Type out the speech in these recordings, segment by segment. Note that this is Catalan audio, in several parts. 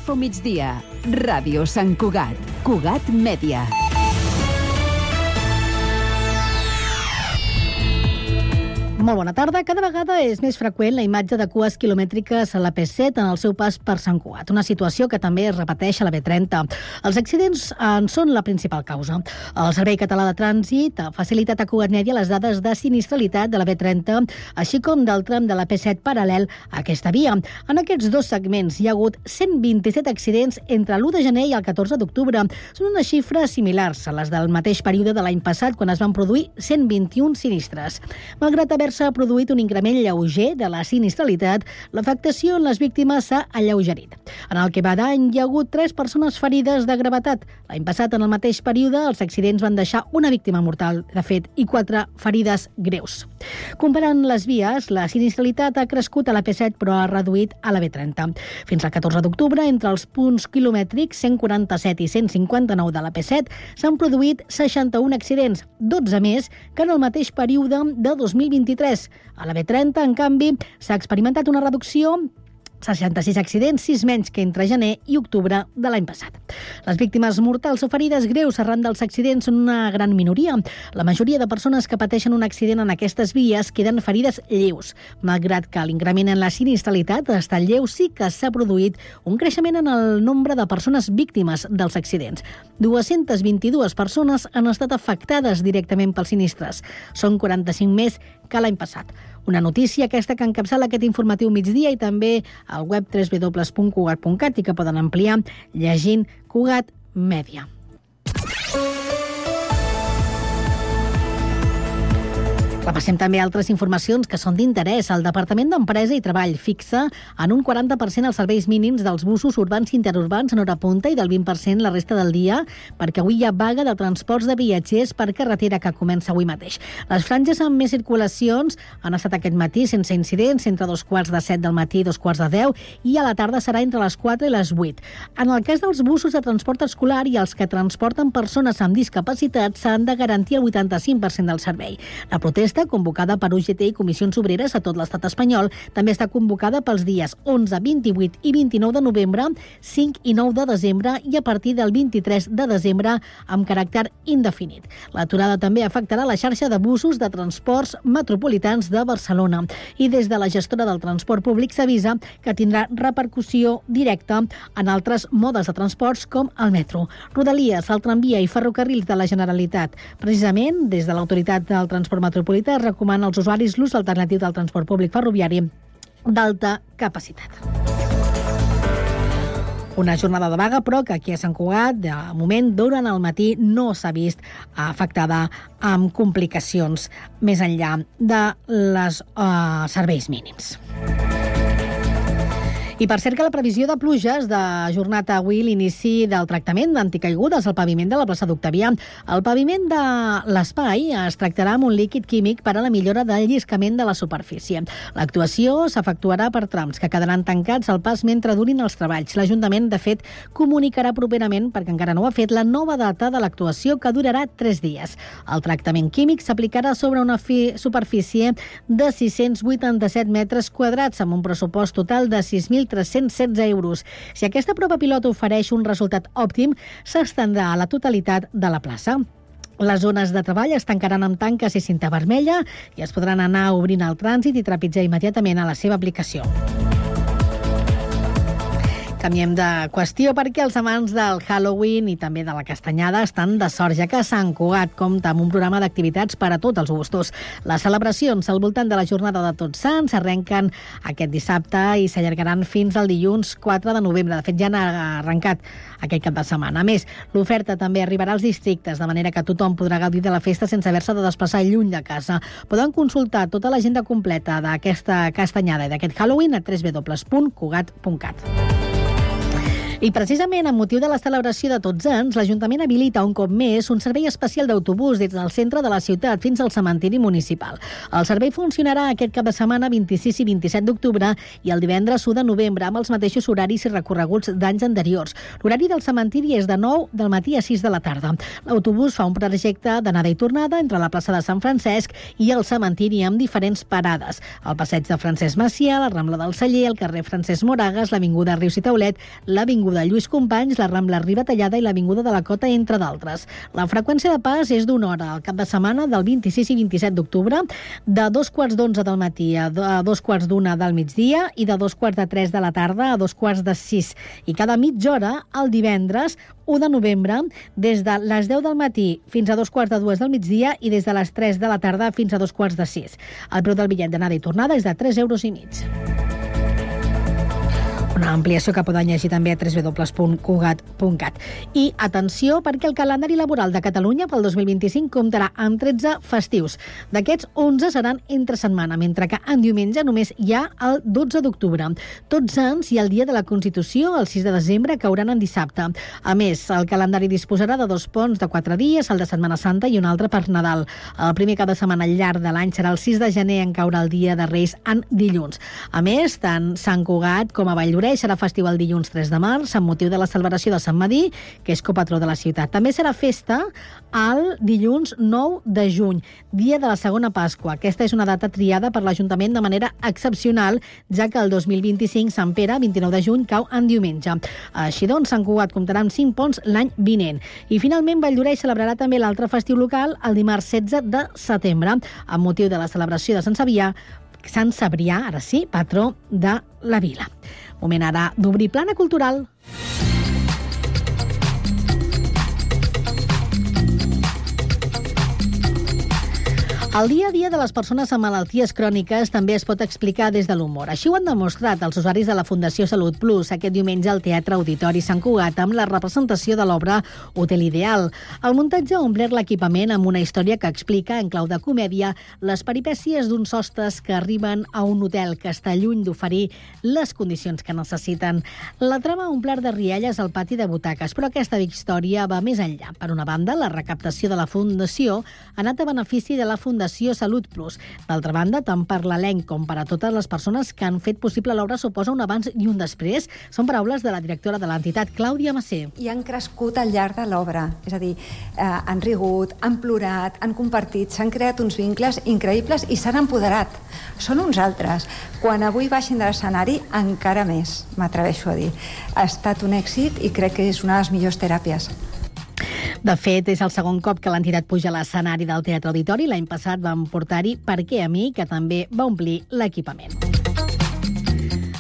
Info Migdia. Ràdio Sant Cugat. Cugat Mèdia. Molt bona tarda. Cada vegada és més freqüent la imatge de cues quilomètriques a la P7 en el seu pas per Sant Cugat, una situació que també es repeteix a la B30. Els accidents en són la principal causa. El Servei Català de Trànsit ha facilitat a Cugat Mèdia les dades de sinistralitat de la B30, així com del tram de la P7 paral·lel a aquesta via. En aquests dos segments hi ha hagut 127 accidents entre l'1 de gener i el 14 d'octubre. Són unes xifres similars a les del mateix període de l'any passat, quan es van produir 121 sinistres. Malgrat haver-se produït un increment lleuger de la sinistralitat, l'afectació en les víctimes s'ha alleugerit. En el que va d'any hi ha hagut 3 persones ferides de gravetat. L'any passat, en el mateix període, els accidents van deixar una víctima mortal, de fet, i 4 ferides greus. Comparant les vies, la sinistralitat ha crescut a la P7, però ha reduït a la B30. Fins al 14 d'octubre, entre els punts quilomètrics 147 i 159 de la P7, s'han produït 61 accidents, 12 més que en el mateix període de 2023. A la B30, en canvi, s'ha experimentat una reducció, 66 accidents, 6 menys que entre gener i octubre de l'any passat. Les víctimes mortals o ferides greus arran dels accidents són una gran minoria. La majoria de persones que pateixen un accident en aquestes vies queden ferides lleus. Malgrat que l'increment en la sinistralitat ha estat lleu, sí que s'ha produït un creixement en el nombre de persones víctimes dels accidents. 222 persones han estat afectades directament pels sinistres. Són 45 més que l'any passat. Una notícia aquesta que encapçala aquest informatiu migdia i també al web www.cugat.cat i que poden ampliar llegint Cugat Mèdia. Repassem també altres informacions que són d'interès. El Departament d'Empresa i Treball fixa en un 40% els serveis mínims dels busos urbans i interurbans en hora punta i del 20% la resta del dia, perquè avui hi ha vaga de transports de viatgers per carretera que comença avui mateix. Les franges amb més circulacions han estat aquest matí sense incidents, entre 7:15 del matí i 10:15, i a la tarda serà entre les 4 i les 8. En el cas dels busos de transport escolar i els que transporten persones amb discapacitat s'han de garantir el 85% del servei. La protesta, convocada per UGT i Comissions Obreres a tot l'estat espanyol, també està convocada pels dies 11, 28 i 29 de novembre, 5 i 9 de desembre i a partir del 23 de desembre amb caràcter indefinit. L'aturada també afectarà la xarxa de busos de transports metropolitans de Barcelona i des de la gestora del transport públic s'avisa que tindrà repercussió directa en altres modes de transports com el metro, Rodalies, el tramvia i ferrocarrils de la Generalitat. Precisament, des de l'Autoritat del Transport Metropolità es recomana als usuaris l'ús alternatiu del transport públic ferroviari d'alta capacitat. Una jornada de vaga, però, que aquí a Sant Cugat, de moment, durant el matí, no s'ha vist afectada amb complicacions més enllà de les serveis mínims. I per cert que la previsió de pluges de jornada avui l'inici del tractament d'anticaigudes al paviment de la plaça d'Octavià. El paviment de l'espai es tractarà amb un líquid químic per a la millora del lliscament de la superfície. L'actuació s'efectuarà per trams que quedaran tancats al pas mentre durin els treballs. L'Ajuntament, de fet, comunicarà properament, perquè encara no ho ha fet, la nova data de l'actuació que durarà 3 dies. El tractament químic s'aplicarà sobre una superfície de 687 metres quadrats amb un pressupost total de 6.316 euros. Si aquesta prova pilot ofereix un resultat òptim, s'estendrà a la totalitat de la plaça. Les zones de treball es tancaran amb tanques i cinta vermella i es podran anar obrint el trànsit i trepitjar immediatament a la seva aplicació. Canviem de qüestió perquè els amants del Halloween i també de la castanyada estan de sort, ja que Sant Cugat compta amb un programa d'activitats per a tots els gustos. Les celebracions al voltant de la jornada de Tots Sants arrenquen aquest dissabte i s'allargaran fins al dilluns 4 de novembre. De fet, ja han arrencat aquest cap de setmana. A més, l'oferta també arribarà als districtes, de manera que tothom podrà gaudir de la festa sense haver-se de desplaçar lluny de casa. Poden consultar tota l'agenda completa d'aquesta castanyada i d'aquest Halloween a www.cugat.cat. I precisament amb motiu de la celebració de Tots Sants, l'Ajuntament habilita un cop més un servei especial d'autobús des del centre de la ciutat fins al cementiri municipal. El servei funcionarà aquest cap de setmana 26 i 27 d'octubre i el divendres 1 de novembre amb els mateixos horaris i recorreguts d'anys anteriors. L'horari del cementiri és de 9 del matí a 6 de la tarda. L'autobús fa un trajecte d'anada i tornada entre la plaça de Sant Francesc i el cementiri amb diferents parades. El passeig de Francesc Macià, la Rambla del Celler, el carrer Francesc Moragas, l'avinguda Rius i Taulet, l'avinguda Avinguda Lluís Companys, la Rambla Riba Tallada i l'Avinguda de la Cota, entre d'altres. La freqüència de pas és d'1 hora al cap de setmana del 26 i 27 d'octubre, de 2:45 del matí a 2:45 del migdia i de 2:45 de la tarda a 2:45. I cada mitja hora, el divendres 1 de novembre, des de les 10 del matí fins a 2:45 del migdia i des de les 3 de la tarda fins a 2:45. El preu del bitllet d'anada i tornada és de 3,5 €. Una ampliació que poden llegir també a www.cugat.cat. I atenció, perquè el calendari laboral de Catalunya pel 2025 comptarà amb 13 festius. D'aquests, 11 seran entre setmana, mentre que en diumenge només hi ha el 12 d'octubre. Tots Sants i el dia de la Constitució, el 6 de desembre, cauran en dissabte. A més, el calendari disposarà de 2 ponts de 4 dies, el de Setmana Santa i un altre per Nadal. El primer cap de setmana al llarg de l'any serà el 6 de gener, en caurà el dia de Reis en dilluns. A més, tant Sant Cugat com a Valldoreix serà festiu el dilluns 3 de març amb motiu de la celebració de Sant Madí, que és copatró de la ciutat. També serà festa el dilluns 9 de juny, dia de la segona Pasqua. Aquesta és una data triada per l'Ajuntament de manera excepcional, ja que el 2025 Sant Pere, 29 de juny, cau en diumenge. Així doncs, Sant Cugat comptarà amb 5 ponts l'any vinent. I finalment, Valldoreix celebrarà també l'altre festiu local el dimarts 16 de setembre, amb motiu de la celebració de Sant Cebrià, ara sí, patró de la vila. Moment ara d'obrir plana cultural. El dia a dia de les persones amb malalties cròniques també es pot explicar des de l'humor. Així ho han demostrat els usuaris de la Fundació Salut Plus aquest diumenge al Teatre Auditori Sant Cugat amb la representació de l'obra Hotel Ideal. El muntatge ha omplert l'equipament amb una història que explica, en clau de comèdia, les peripècies d'uns hostes que arriben a un hotel que està lluny d'oferir les condicions que necessiten. La trama ha omplert de rialles al pati de butaques, però aquesta història va més enllà. Per una banda, la recaptació de la Fundació ha anat a benefici de la Fundació Salut Plus. D'altra banda, tant per l'elenc com per a totes les persones que han fet possible l'obra suposa un abans i un després. Són paraules de la directora de l'entitat, Clàudia Massé. I han crescut al llarg de l'obra. És a dir, han rigut, han plorat, han compartit, s'han creat uns vincles increïbles i s'han empoderat. Són uns altres. Quan avui baixin de l'escenari, encara més, m'atreveixo a dir. Ha estat un èxit i crec que és una de les millors teràpies. De fet, és el segon cop que l'entitat puja a l'escenari del Teatre Auditori. L'any passat vam portar-hi Per què a mi, que també va omplir l'equipament.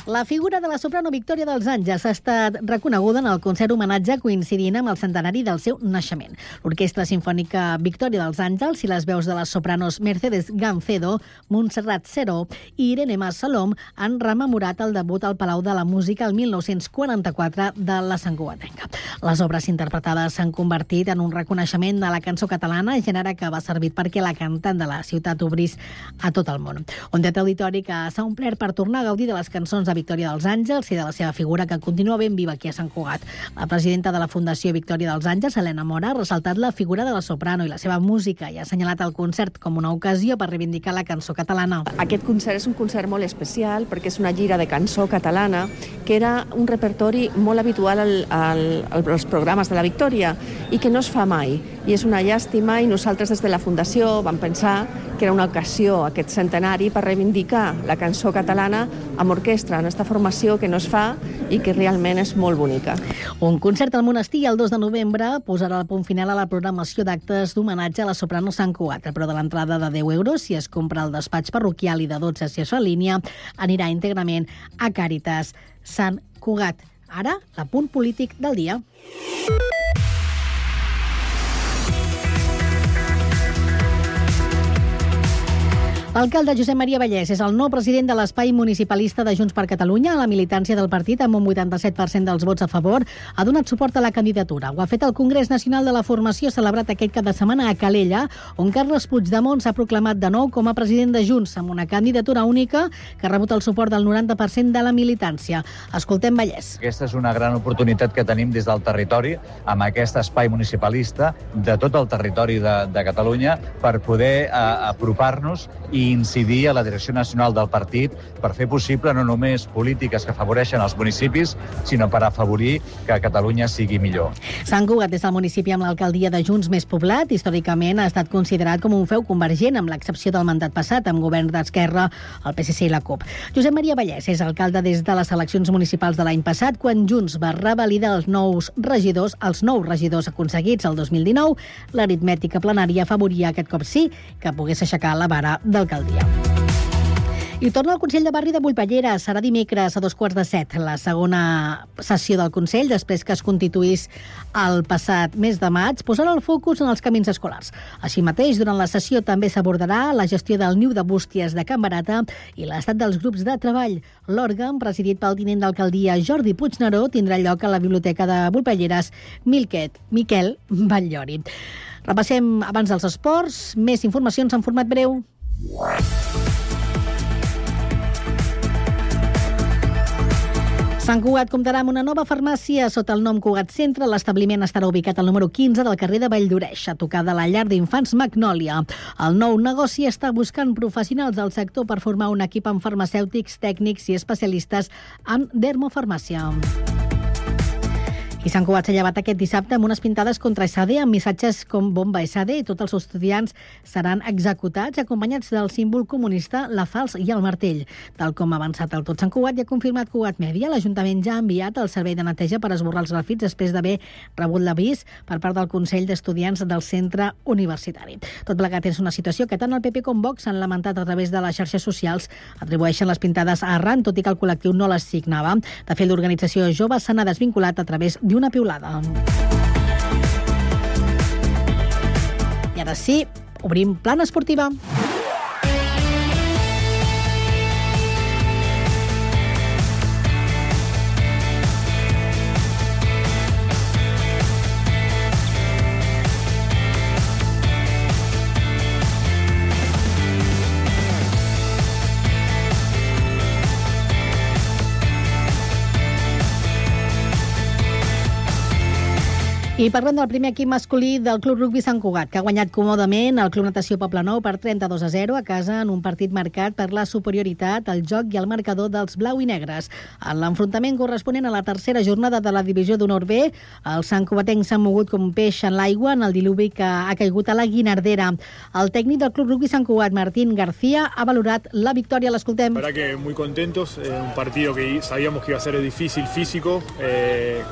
La figura de la soprano Victòria dels Àngels ha estat reconeguda en el concert homenatge coincidint amb el centenari del seu naixement. L'Orquestra Simfònica Victòria dels Àngels i les veus de les sopranos Mercedes Gancedo, Montserrat Seró i Irene Mas Salom han rememorat el debut al Palau de la Música el 1944 de la santcugatenca. Les obres interpretades s'han convertit en un reconeixement de la cançó catalana, gènere que va servir perquè la cantant de la ciutat obrís a tot el món. Un teatre auditori que s'ha omplert per tornar a gaudir de les cançons de Victòria dels Àngels i de la seva figura, que continua ben viva aquí a Sant Cugat. La presidenta de la Fundació Victòria dels Àngels, Helena Mora, ha ressaltat la figura de la soprano i la seva música i ha assenyalat el concert com una ocasió per reivindicar la cançó catalana. Aquest concert és un concert molt especial perquè és una gira de cançó catalana que era un repertori molt habitual als programes de la Victòria i que no es fa mai. I és una llàstima i nosaltres des de la Fundació vam pensar que era una ocasió aquest centenari per reivindicar la cançó catalana amb orquestra, en aquesta formació que no es fa i que realment és molt bonica. Un concert al Monestir el 2 de novembre posarà el punt final a la programació d'actes d'homenatge a la soprano Sant Cugat. El preu de l'entrada de 10 € si es compra al despatx parroquial i de 12 si es fa en línia anirà íntegrament a Càritas Sant Cugat. Ara, l'apunt polític del dia. L'alcalde Josep Maria Vallès és el nou president de l'espai municipalista de Junts per Catalunya. La militància del partit, amb un 87% dels vots a favor, ha donat suport a la candidatura. Ho ha fet el Congrés Nacional de la Formació, celebrat aquest cap de setmana a Calella, on Carles Puigdemont s'ha proclamat de nou com a president de Junts, amb una candidatura única que ha rebut el suport del 90% de la militància. Escoltem Vallès. Aquesta és una gran oportunitat que tenim des del territori, amb aquest espai municipalista de tot el territori de Catalunya, per poder apropar-nos i i incidir a la direcció nacional del partit per fer possible no només polítiques que afavoreixen els municipis, sinó per afavorir que Catalunya sigui millor. Sant Cugat és el municipi amb l'alcaldia de Junts més poblat. Històricament ha estat considerat com un feu convergent, amb l'excepció del mandat passat, amb govern d'Esquerra, el PSC i la CUP. Josep Maria Vallès és alcalde des de les eleccions municipals de l'any passat, quan Junts va revalidar els nous regidors aconseguits el 2019. L'aritmètica plenària afavoria aquest cop sí que pogués aixecar la vara d'alcaldia. I torna al Consell de Barri de Bullpallera. Serà dimecres a 6:45, la segona sessió del Consell, després que es constituís el passat mes de maig, posarà el focus en els camins escolars. Així mateix, durant la sessió també s'abordarà la gestió del niu de bústies de Can Barata i l'estat dels grups de treball. L'òrgan, presidit pel tinent d'alcaldia Jordi Puigneró, tindrà lloc a la Biblioteca de Bullpalleres Miquel Batllori. Repassem abans dels esports, més informacions en format breu. Sant Cugat comptarà amb una nova farmàcia sota el nom Cugat Centre. L'establiment estarà ubicat al número 15 del carrer de Valldoreix, a tocar de la llar d'infants Magnòlia. El nou negoci està buscant professionals del sector per formar un equip amb farmacèutics, tècnics i especialistes en dermofarmàcia. I Sant Cugat s'ha llevat aquest dissabte amb unes pintades contra SAD amb missatges com bomba SAD i tots els estudiants seran executats acompanyats del símbol comunista, la falç i el martell. Tal com ha avançat el Tot Sant Cugat i ha confirmat Cugat Mèdia, l'Ajuntament ja ha enviat el servei de neteja per esborrar els grafits després d'haver rebut l'avís per part del Consell d'Estudiants del centre universitari. Tot plegat és una situació que tant el PP com Vox han lamentat a través de les xarxes socials. Atribueixen les pintades a Arran, tot i que el col·lectiu no les signava. De fet, l'organització jove se n'ha desvinculat a través d'una piulada. I ara sí, obrim plana esportiva. I parlem del primer equip masculí del Club Rugbi Sant Cugat, que ha guanyat còmodament el Club Natació Poblenou per 32-0 a casa en un partit marcat per la superioritat, el joc i el marcador dels blau i negres. En l'enfrontament corresponent a la tercera jornada de la divisió d'honor B, els santcugatencs s'han mogut com peix en l'aigua en el diluvi que ha caigut a la Guinardera. El tècnic del Club Rugbi Sant Cugat, Martín García, ha valorat la victòria. L'escoltem. La verdad que muy contentos, un partido que sabíamos que iba a ser difícil físico,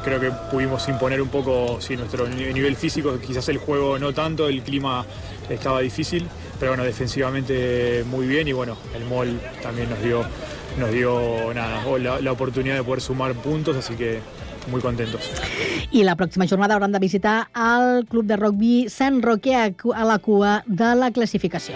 creo que pudimos imponer un poco nuestro nivel físico, quizás el juego no tanto, el clima estaba difícil, pero bueno, defensivamente muy bien y bueno, el MOL también nos dio la oportunidad de poder sumar puntos, así que muy contentos. I la pròxima jornada hauran de visitar el Club de Rugbi Sant Roque a la cua de la classificació.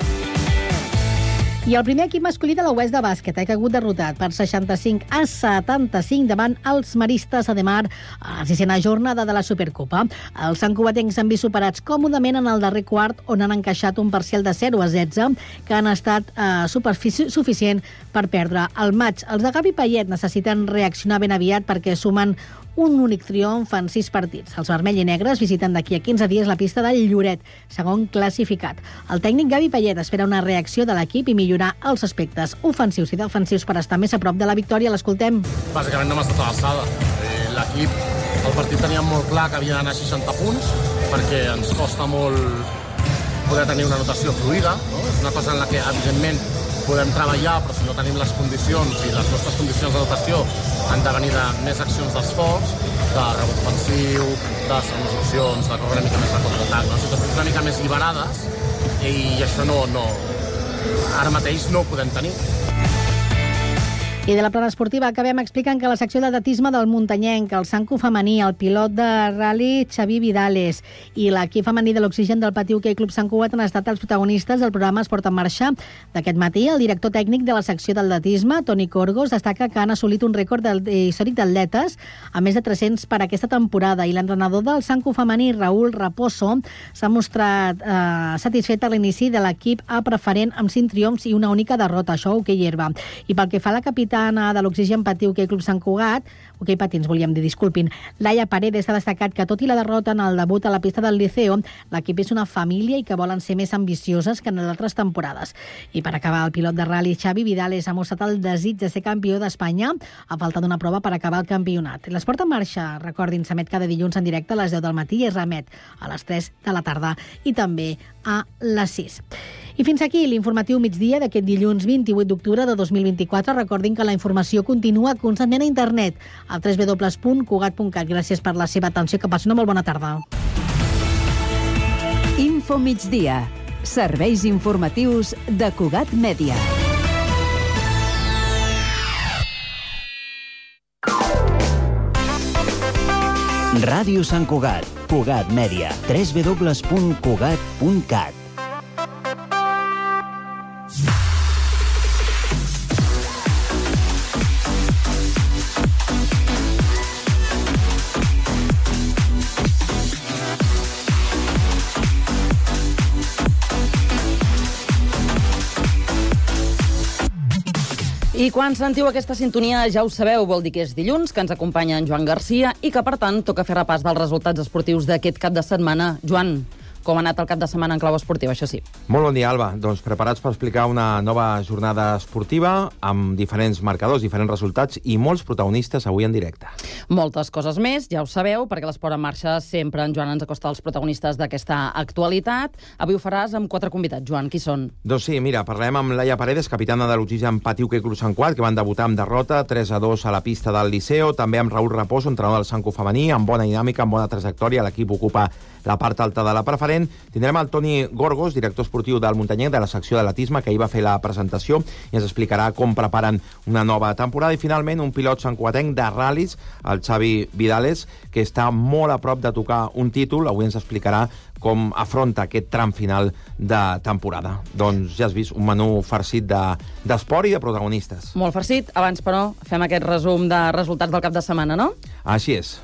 I el primer equip masculí de l'Oest de bàsquet ha caigut derrotat per 65-75 davant els maristes a Demar a la 6a jornada de la Supercopa. Els santcugatencs s'han vist superats còmodament en el darrer quart, on han encaixat un parcial de 0-16 que han estat suficient per perdre el maig. Els de Gavi Payet necessiten reaccionar ben aviat perquè sumen un únic triomf en 6 partits. Els vermell i negres visiten d'aquí a 15 dies la pista del Lloret, segon classificat. El tècnic Gavi Payet espera una reacció de l'equip i millorar els aspectes ofensius i defensius per estar més a prop de la victòria. L'escoltem. Bàsicament no hem estat a l'alçada. L'equip, el partit teníem molt clar que havia d'anar a 60 punts perquè ens costa molt poder tenir una notació fluida, no? És una cosa en la que, evidentment, podem treballar, però si no tenim les condicions i les nostres condicions de dotació han de venir de més accions d'esforç, de rebot ofensiu, de segones opcions, de córrer una mica més de contraatac, no? Situacions una mica més liberades i això ara mateix no ho podem tenir. I de la plana esportiva acabem explicant que la secció d'atletisme del muntanyenc, el Sancu femení, el pilot de rally Xavi Vidales i l'equip femení de l'Oxigen del Pati Hoquei Club Sant Cugat han estat els protagonistes del programa Esport en Marxa d'aquest matí. El director tècnic de la secció d'atletisme, Toni Corgos, destaca que han assolit un rècord històric d'atletes a més de 300 per aquesta temporada, i l'entrenador del Sancu femení, Raúl Raposo, s'ha mostrat satisfet a l'inici de l'equip a preferent amb 5 triomfs i una única derrota, això a Hoquei Herba. I pel que fa a la capital, capitana de l'Oxigen Patí Hoquei Club Sant Cugat, Hoquei Patins, volíem dir, disculpin, Laia Paredes ha destacat que tot i la derrota en el debut a la pista del Liceo, l'equip és una família i que volen ser més ambicioses que en les altres temporades. I per acabar, el pilot de ral·li Xavi Vidales ha mostrat el desig de ser campió d'Espanya a falta d'una prova per acabar el campionat. L'Esport en marxa, recordin, s'emet cada dilluns en directe a les 10 del matí i es remet a les 3 de la tarda i també a les 6. I fins aquí l'informatiu migdia d'aquest dilluns 28 d'octubre de 2024. Recordin que la informació continua constantment a internet al www.cugat.cat. Gràcies per la seva atenció. Que passi una molt bona tarda. Info migdia. Serveis informatius de Cugat Mèdia. Ràdio Sant Cugat, Cugat Mèdia, www.cugat.cat. I quan sentiu aquesta sintonia, ja ho sabeu, vol dir que és dilluns, que ens acompanya en Joan Garcia i que, per tant, toca fer repàs dels resultats esportius d'aquest cap de setmana. Joan, com ha anat el cap de setmana en clau esportiva, això sí? Molt bon dia, Alba. Doncs preparats per explicar una nova jornada esportiva amb diferents marcadors, diferents resultats i molts protagonistes avui en directe. Moltes coses més, ja ho sabeu, perquè l'Esport en marxa sempre en Joan ens acosta als protagonistes d'aquesta actualitat. Avui ho faràs amb 4 convidats. Joan, qui són? Doncs sí, mira, parlem amb Laia Paredes, capitana de l'Oxigen Patí Hoquei Club Sant Cugat, que van debutar amb derrota 3-2 a la pista del Liceo, també amb Raül Raposo, entrenador del Sanco femení, amb bona dinàmica, amb bona trajectòria, l'equip ocupa la part alta de la preferent. Tindrem el Toni Gorgos, director esportiu del Muntanyenc, de la secció d'atletisme, que ahir va fer la presentació i ens explicarà com preparen una nova temporada. I finalment un pilot santcugatenc de ral·lis, el Xavi Vidales, que està molt a prop de tocar un títol. Avui ens explicarà com afronta aquest tram final de temporada. Doncs ja has vist, un menú farcit d'esport i de protagonistes. Molt farcit. Abans, però, fem aquest resum de resultats del cap de setmana, no? Així és.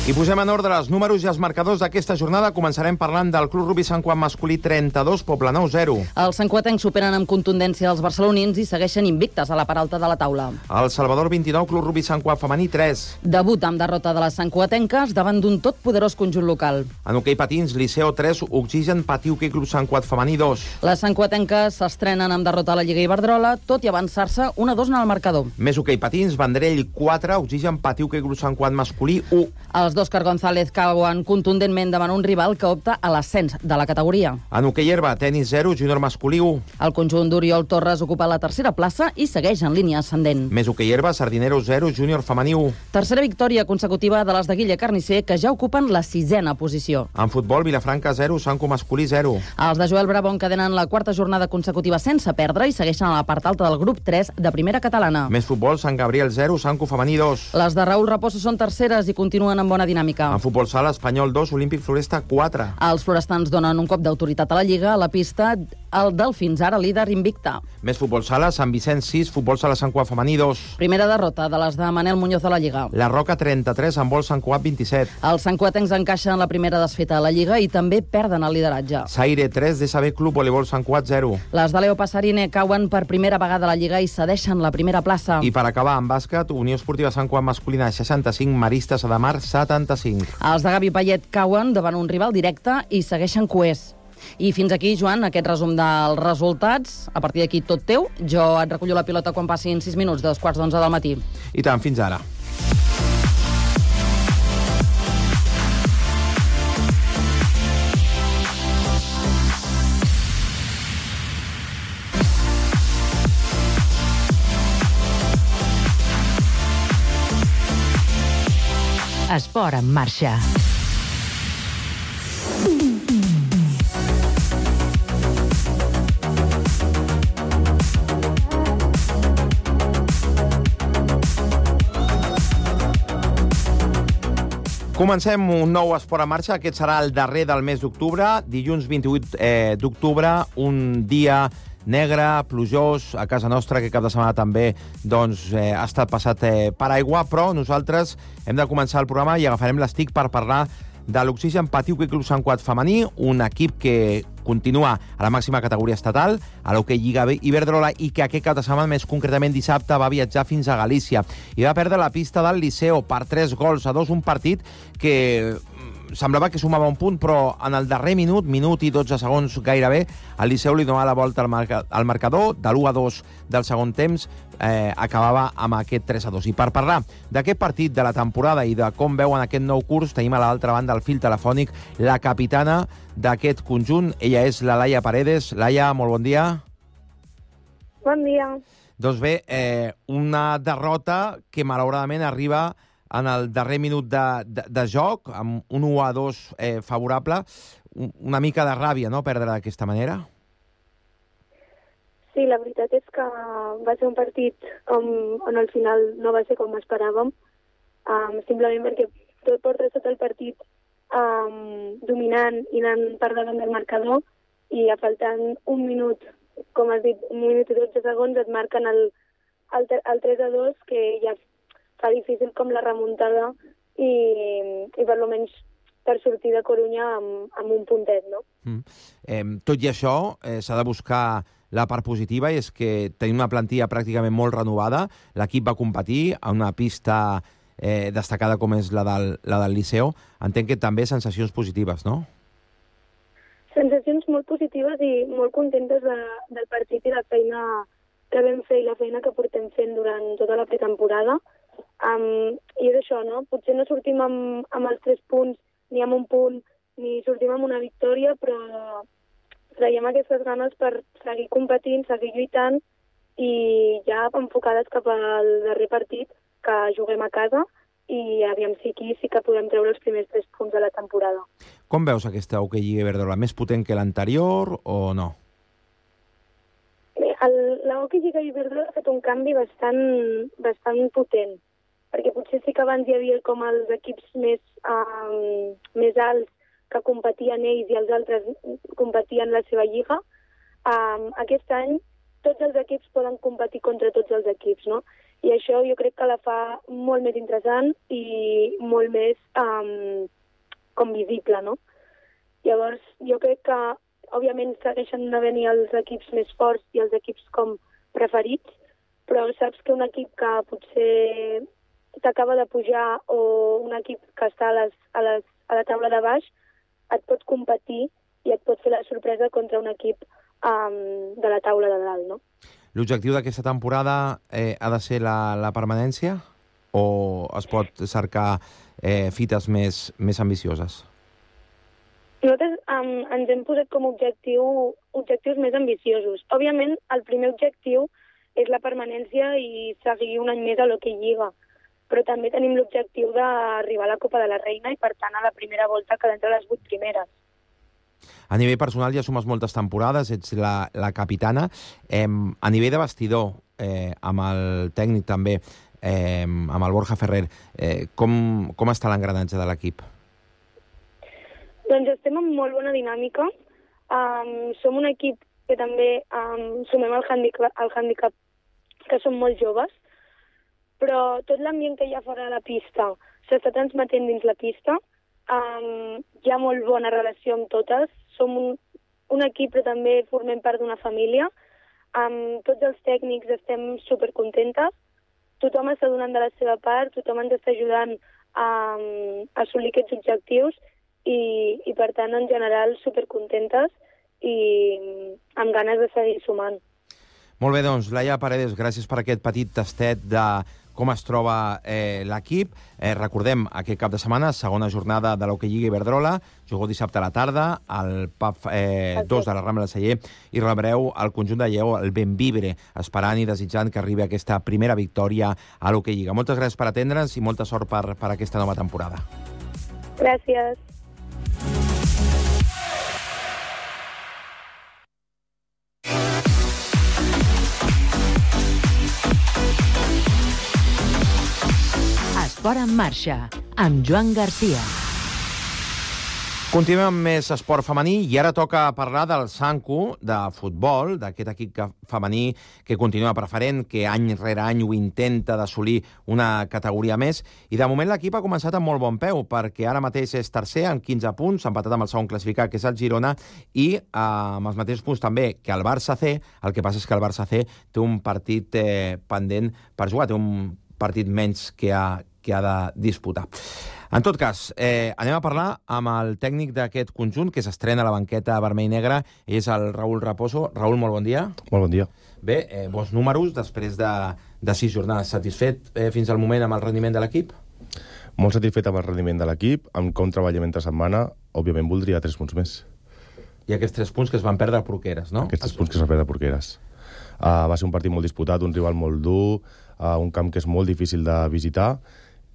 I posem en ordre els números i els marcadors d'aquesta jornada. Començarem parlant del Club Rugbi Sant Cugat masculí 32, Poblenou 0. Els santcugatencs superen amb contundència els barcelonins i segueixen invictes a la part alta de la taula. El Salvador 29, Club Rugbi Sant Cugat femení 3. Debut amb derrota de les santcugatenques davant d'un totpoderós conjunt local. En hoquei patins, Liceo 3, Oxigen Patí Hoquei Club Sant Cugat femení 2. Les santcugatenques s'estrenen amb derrota a la Lliga Iberdrola, tot i avançar-se 1-2 en el marcador. Més hoquei patins, Vendrell 4, Oxigen Patí Hoquei Club Sant Cugat masculí 1. Els d'Òscar González cauen contundentment davant un rival que opta a l'ascens de la categoria. En hoquei herba, tenis 0, júnior masculí 1. El conjunt d'Oriol Torres ocupa la tercera plaça i segueix en línia ascendent. Més hoquei herba, Sardinero 0, júnior femení 1. Tercera victòria consecutiva de les de Guille Carnicer, que ja ocupen la 6a posició. En futbol, Vilafranca 0, Sanco masculí 0. Els de Joel Bravo encadenen la quarta jornada consecutiva sense perdre i segueixen a la part alta del grup 3 de primera catalana. Més futbol, Sant Gabriel 0, Sanco femení 2. Les de Raül Raposo són terceres i continuen amb bona dinàmica. En futbol sala, Espanyol 2, Olímpic Floresta 4. Els florestans donen un cop d'autoritat a la Lliga. A la pista, el del fins ara líder invicta. Més futbol sala, Sant Vicenç 6, futbol sala Sant Cugat femení 2. Primera derrota de les de Manel Muñoz a la Lliga. La Roca 33, handbol Sant Cugat 27. Els santcugatencs encaixen la primera desfeta a la Lliga i també perden el lideratge. Saire 3, DSB Club Voleibol Sant Cugat 0. Les de Leo Passarine cauen per primera vegada a la Lliga i cedeixen la primera plaça. I per acabar, en bàsquet, Unió Esportiva Sant Cugat masculina 65, Maristes de Mar 75. Els de Gavi Payet cauen davant un rival directe i segueixen coers. I fins aquí, Joan, aquest resum dels resultats. A partir d'aquí, tot teu. Jo et recullo la pilota quan passin 6 minuts, 11:15 del matí. I tant, fins ara. Esport en marxa. Comencem un nou Esport en Marxa. Aquest serà el darrer del mes d'octubre. Dilluns 28 d'octubre, un dia negre, plujós, a casa nostra, que cap de setmana també ha estat passat per aigua, però nosaltres hem de començar el programa i agafarem l'estic per parlar de l'Oxigen Patí Hoquei Club Sant Cugat femení, un equip que continua a la màxima categoria estatal, a l'Hoquei Lliga Iberdrola, i que aquest cap de setmana, més concretament dissabte, va viatjar fins a Galícia i va perdre la pista del Liceo per 3-2, un partit que semblava que sumava un punt, però en el darrer minut i 12 segons gairebé, el Liceu li donava la volta al marcador, de l'1-2 del segon temps, acabava amb aquest 3-2. I per parlar d'aquest partit, de la temporada i de com veuen aquest nou curs, tenim a l'altra banda del fil telefònic la capitana d'aquest conjunt. Ella és la Laia Paredes. Laia, molt bon dia. Bon dia. Doncs bé, una derrota que malauradament arriba en el darrer minut de joc, amb un 1-2 favorable. Una mica de ràbia, no?, perdre d'aquesta manera. Sí, la veritat és que va ser un partit on al final no va ser com esperàvem, simplement perquè portes tot el partit dominant i anant per davant del marcador, i a faltant un minut, com has dit, 1 minut i 12 segons, et marquen el 3-2, que ja fa difícil com la remuntada i per almenys per sortir de Corunya amb un puntet, no? Tot i això, s'ha de buscar la part positiva, i és que tenim una plantilla pràcticament molt renovada. L'equip va competir a una pista destacada com és la del Liceo. Entenc que també sensacions positives, no? Sensacions molt positives i molt contentes del partit i la feina que vam fer i la feina que portem fent durant tota la pretemporada. I és això, no? Potser no sortim amb els 3 punts, ni amb un punt, ni sortim amb una victòria, però traiem aquestes ganes per seguir competint, seguir lluitant, i ja enfocades cap al darrer partit, que juguem a casa, i aviam si aquí sí que podem treure els primers 3 punts de la temporada. Com veus aquesta Hoquei Lliga Iberdrola? Més potent que l'anterior o no? La Hoquei Lliga Iberdrola ha fet un canvi bastant potent, perquè potser sí que abans hi havia com els equips més alts que competien ells i els altres competien la seva lliga. Aquest any tots els equips poden competir contra tots els equips, no? I això jo crec que la fa molt més interessant i molt més com visible, no? Llavors jo crec que òbviament segueixen havent-hi els equips més forts i els equips com preferits, però saps que un equip que potser t'acaba de pujar o un equip que està a la taula de baix et pot competir i et pot fer la sorpresa contra un equip de la taula de dalt, no? L'objectiu d'aquesta temporada ha de ser la permanència o es pot cercar fites més ambicioses? Nosaltres ens hem posat com a objectius més ambiciosos. Òbviament, el primer objectiu és la permanència i seguir un any més a l'Hoquei Lliga, però també tenim l'objectiu d'arribar a la Copa de la Reina i, per tant, a la primera volta quedar entre les 8 primeres. A nivell personal ja sumes moltes temporades, ets la capitana. A nivell de vestidor, amb el tècnic també, amb el Borja Ferrer, com està l'engranatge de l'equip? Doncs estem en molt bona dinàmica. Som un equip que també sumem el handicap que som molt joves, però tot l'ambient que hi ha fora de la pista s'està transmetent dins la pista. Hi ha molt bona relació amb totes. Som un equip, però també formem part d'una família. Amb tots els tècnics estem supercontentes. Tothom està donant de la seva part, tothom ens està ajudant a assolir aquests objectius i per tant, en general, supercontentes i amb ganes de seguir sumant. Molt bé, doncs, Laia Paredes, gràcies per aquest petit tastet de com es troba l'equip. Recordem, aquest cap de setmana, segona jornada de l'Hoquei Lliga Iberdrola, jugueu dissabte a la tarda, al PAF 2 de la Rambla del Celler, i rebreu el conjunt de Lleó, el Benvibre, esperant i desitjant que arribi aquesta primera victòria a l'Hoquei Lliga. Moltes gràcies per atendre'ns i molta sort per aquesta nova temporada. Gràcies. Esport en marxa, amb Joan Garcia. Continuem amb més esport femení i ara toca parlar del Sanku, de futbol, d'aquest equip femení que continua preferent, que any rere any ho intenta d'assolir una categoria més. I de moment l'equip ha començat amb molt bon peu, perquè ara mateix és tercer amb 15 punts, empatat amb el segon classificat, que és el Girona, i amb els mateixos punts també que el Barça C. El que passa és que el Barça C té un partit pendent per jugar, té un partit menys que ha de disputar. En tot cas, anem a parlar amb el tècnic d'aquest conjunt, que s'estrena a la banqueta vermell-negra, és el Raül Raposo. Raül, molt bon dia. Molt bon dia. Bé, bons números després de 6 jornades. Satisfet fins al moment amb el rendiment de l'equip? Molt satisfet amb el rendiment de l'equip, amb com treballem entre setmana. Òbviament voldria 3 punts més. I aquests 3 punts que es van perdre a Porqueres, no? Aquests 3 punts que es van perdre a Porqueres. Va ser un partit molt disputat, un rival molt dur, un camp que és molt difícil de visitar,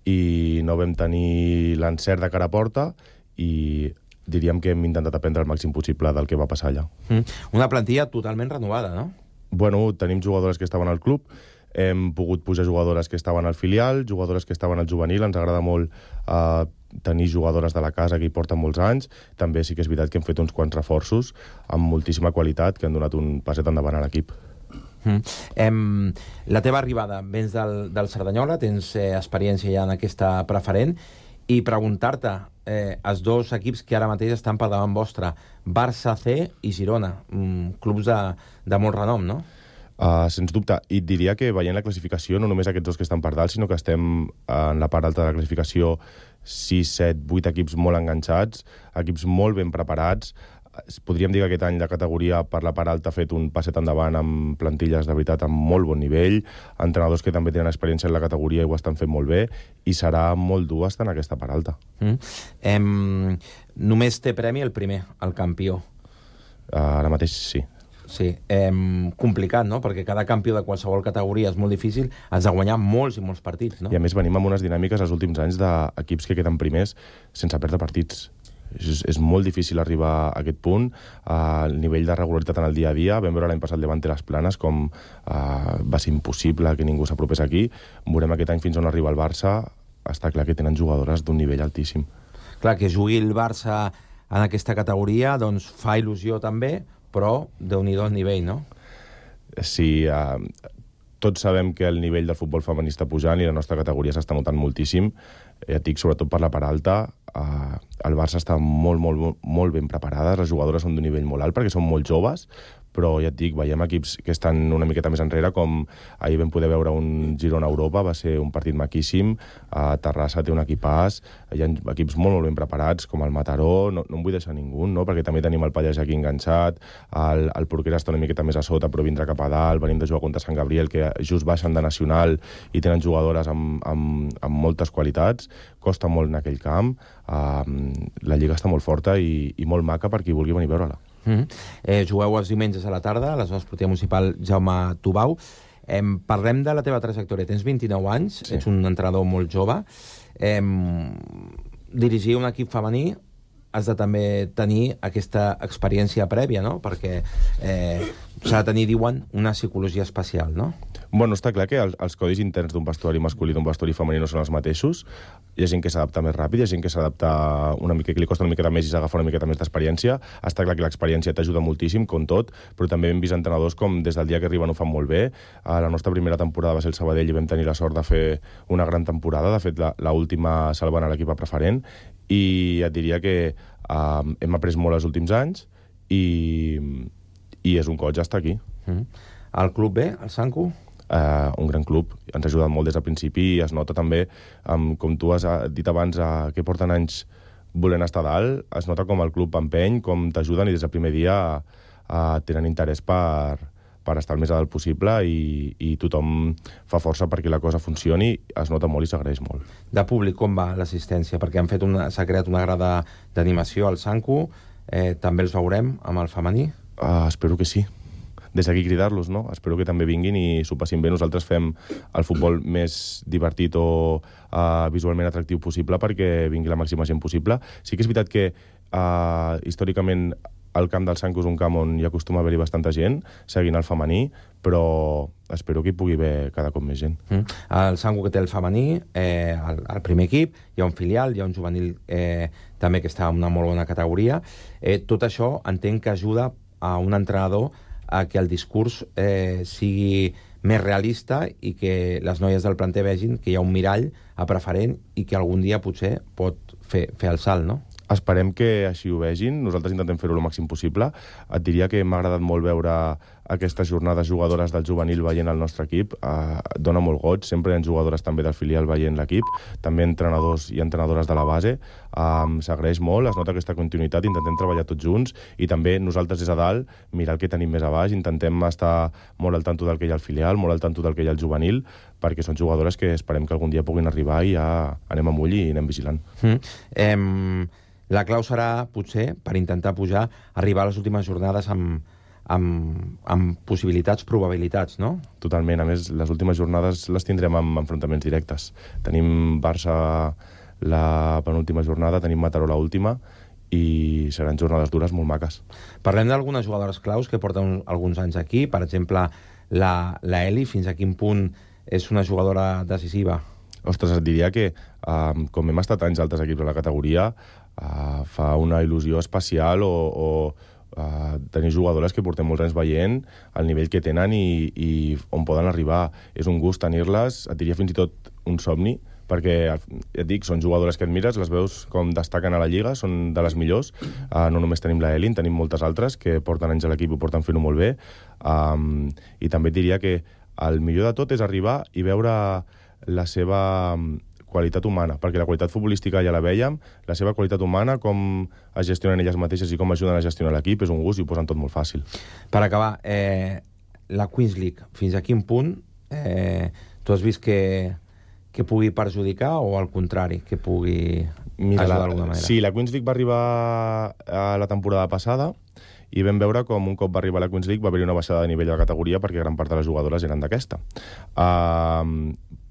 i no vam tenir l'encert de cara a porta i diríem que hem intentat aprendre el màxim possible del que va passar allà. Una plantilla totalment renovada, no? Bueno, tenim jugadores que estaven al club, hem pogut pujar jugadores que estaven al filial, jugadores que estaven al juvenil, ens agrada molt tenir jugadores de la casa que hi porten molts anys. També sí que és veritat que hem fet uns quants reforços amb moltíssima qualitat que han donat un passet endavant a l'equip. La teva arribada, vens del Cerdanyola, tens experiència ja en aquesta preferent, i preguntar-te, els dos equips que ara mateix estan per davant vostre, Barça C i Girona, clubs de molt renom, no? Sens dubte, i et diria que veient la classificació, no només aquests dos que estan per dalt, sinó que estem en la part alta de la classificació 6, 7, 8 equips molt enganxats, equips molt ben preparats. Podríem dir que aquest any la categoria per la part alta ha fet un passet endavant amb plantilles de veritat amb molt bon nivell, entrenadors que també tenen experiència en la categoria i ho estan fent molt bé, i serà molt dur estar en aquesta part alta. Només té premi el primer, el campió. Ara mateix sí. Sí, complicat, no? Perquè cada campió de qualsevol categoria és molt difícil, has de guanyar molts i molts partits, no? I a més venim amb unes dinàmiques els últims anys d'equips que queden primers sense perdre partits. És molt difícil arribar a aquest punt. El nivell de regularitat en el dia a dia, vam veure l'any passat Levante les Planes com va ser impossible que ningú s'apropés aquí. Veurem aquest any fins on arriba el Barça. Està clar que tenen jugadores d'un nivell altíssim. Clar, que jugui el Barça en aquesta categoria doncs fa il·lusió també, però Déu-n'hi-do el nivell, no? Sí, tots sabem que el nivell del futbol femení està pujant i la nostra categoria s'està notant moltíssim. Ja et dic, sobretot per la part alta, el Barça està molt ben preparades, les jugadores són d'un nivell molt alt perquè són molt joves, però ja et dic, veiem equips que estan una miqueta més enrere, com ahir vam poder veure un Girona-Europa, va ser un partit maquíssim, Terrassa té un equipàs, hi ha equips molt ben preparats, com el Mataró, no en vull deixar ningú, no? Perquè també tenim el Pallars aquí enganxat, el Porquera està una miqueta més a sota, però vindrà cap a dalt, venim de jugar contra Sant Gabriel, que just baixen de nacional i tenen jugadores amb moltes qualitats, costa molt en aquell camp, la Lliga està molt forta i molt maca per qui vulgui venir a veure-la. Jugueu els diumenges a la tarda a l'Esportiva Municipal Jaume Tubau. Parlem de la teva trajectòria. Tens 29 anys, sí. Ets un entrenador molt jove. Dirigir un equip femení has de també tenir aquesta experiència prèvia, no? Perquè s'ha de tenir, diuen, una psicologia especial, no? Bueno, està clar que els codis interns d'un vestuari masculí i d'un vestuari femení no són els mateixos. Hi ha gent que s'adapta més ràpid, hi ha gent que s'adapta una mica, que li costa una miqueta més i s'agafa una miqueta més d'experiència. Està clar que l'experiència t'ajuda moltíssim, com tot, però també hem vist entrenadors com des del dia que arriben ho fan molt bé. La nostra primera temporada va ser el Sabadell i vam tenir la sort de fer una gran temporada. De fet, l'última salvant a l'equip a preferent. I et diria que hem après molt els últims anys i és un goig estar aquí. El club B, el Sanku? Un gran club, ens ha ajudat molt des del principi i es nota també, com tu has dit abans, que porten anys volent estar dalt, es nota com el club empeny, com t'ajuden i des del primer dia tenen interès per estar el més a dalt possible i tothom fa força perquè la cosa funcioni, es nota molt i s'agraeix molt. De públic, com va l'assistència? Perquè s'ha creat una grada d'animació al Sanku, també els veurem amb el femení? Espero que sí. Des d'aquí cridar-los, no? Espero que també vinguin i s'ho passin bé. Nosaltres fem el futbol més divertit o visualment atractiu possible perquè vingui la màxima gent possible. Sí que és veritat que històricament el camp del Sanco és un camp on hi acostuma a haver-hi bastanta gent, seguint el femení, però espero que hi pugui haver cada cop més gent. El Sanco que té el femení, el primer equip, hi ha un filial, hi ha un juvenil també que està en una molt bona categoria. Tot això entenc que ajuda a un entrenador a que el discurs sigui més realista i que les noies del planter vegin que hi ha un mirall a preferent i que algun dia potser pot fer el salt, no? Esperem que així ho vegin. Nosaltres intentem fer-ho el màxim possible. Et diria que m'ha agradat molt veure aquestes jornades jugadores del juvenil veient el nostre equip. Dona molt goig. Sempre hi ha jugadores també del filial veient l'equip. També entrenadors i entrenadores de la base. S'agraeix molt, es nota aquesta continuïtat. Intentem treballar tots junts i també nosaltres des de dalt mirar el que tenim més a baix. Intentem estar molt al tanto del que hi ha al filial, molt al tanto del que hi ha al juvenil, perquè són jugadores que esperem que algun dia puguin arribar i ja anem amb ull i anem vigilant. La clau serà, potser, per intentar pujar, arribar a les últimes jornades amb possibilitats, probabilitats, no? Totalment. A més, les últimes jornades les tindrem amb enfrontaments directes. Tenim Barça la penúltima jornada, tenim Mataró l'última, i seran jornades dures molt maques. Parlem d'algunes jugadores claus que porten alguns anys aquí. Per exemple, la Eli, fins a quin punt és una jugadora decisiva? Ostres, et diria que com hem estat anys altres equips a la categoria, fa una il·lusió especial o tenir jugadores que portem molts anys veient el nivell que tenen i on poden arribar. És un gust tenir-les, et diria fins i tot un somni, perquè, ja et dic, són jugadores que admires, les veus com destaquen a la Lliga, són de les millors. No només tenim la Elin, tenim moltes altres que porten anys a l'equip i porten fent-ho molt bé. I també et diria que el millor de tot és arribar i veure la seva qualitat humana, perquè la qualitat futbolística ja la vèiem, la seva qualitat humana, com es gestionen elles mateixes i com ajuden a gestionar l'equip, és un gust i ho posen tot molt fàcil. Per acabar, la Queens League, fins a quin punt tu has vist que pugui perjudicar o al contrari, que pugui ajudar d'alguna manera? Sí, la Queens League va arribar a la temporada passada i vam veure com un cop va arribar a la Queens League va haver-hi una baixada de nivell de la categoria perquè gran part de les jugadores eren d'aquesta.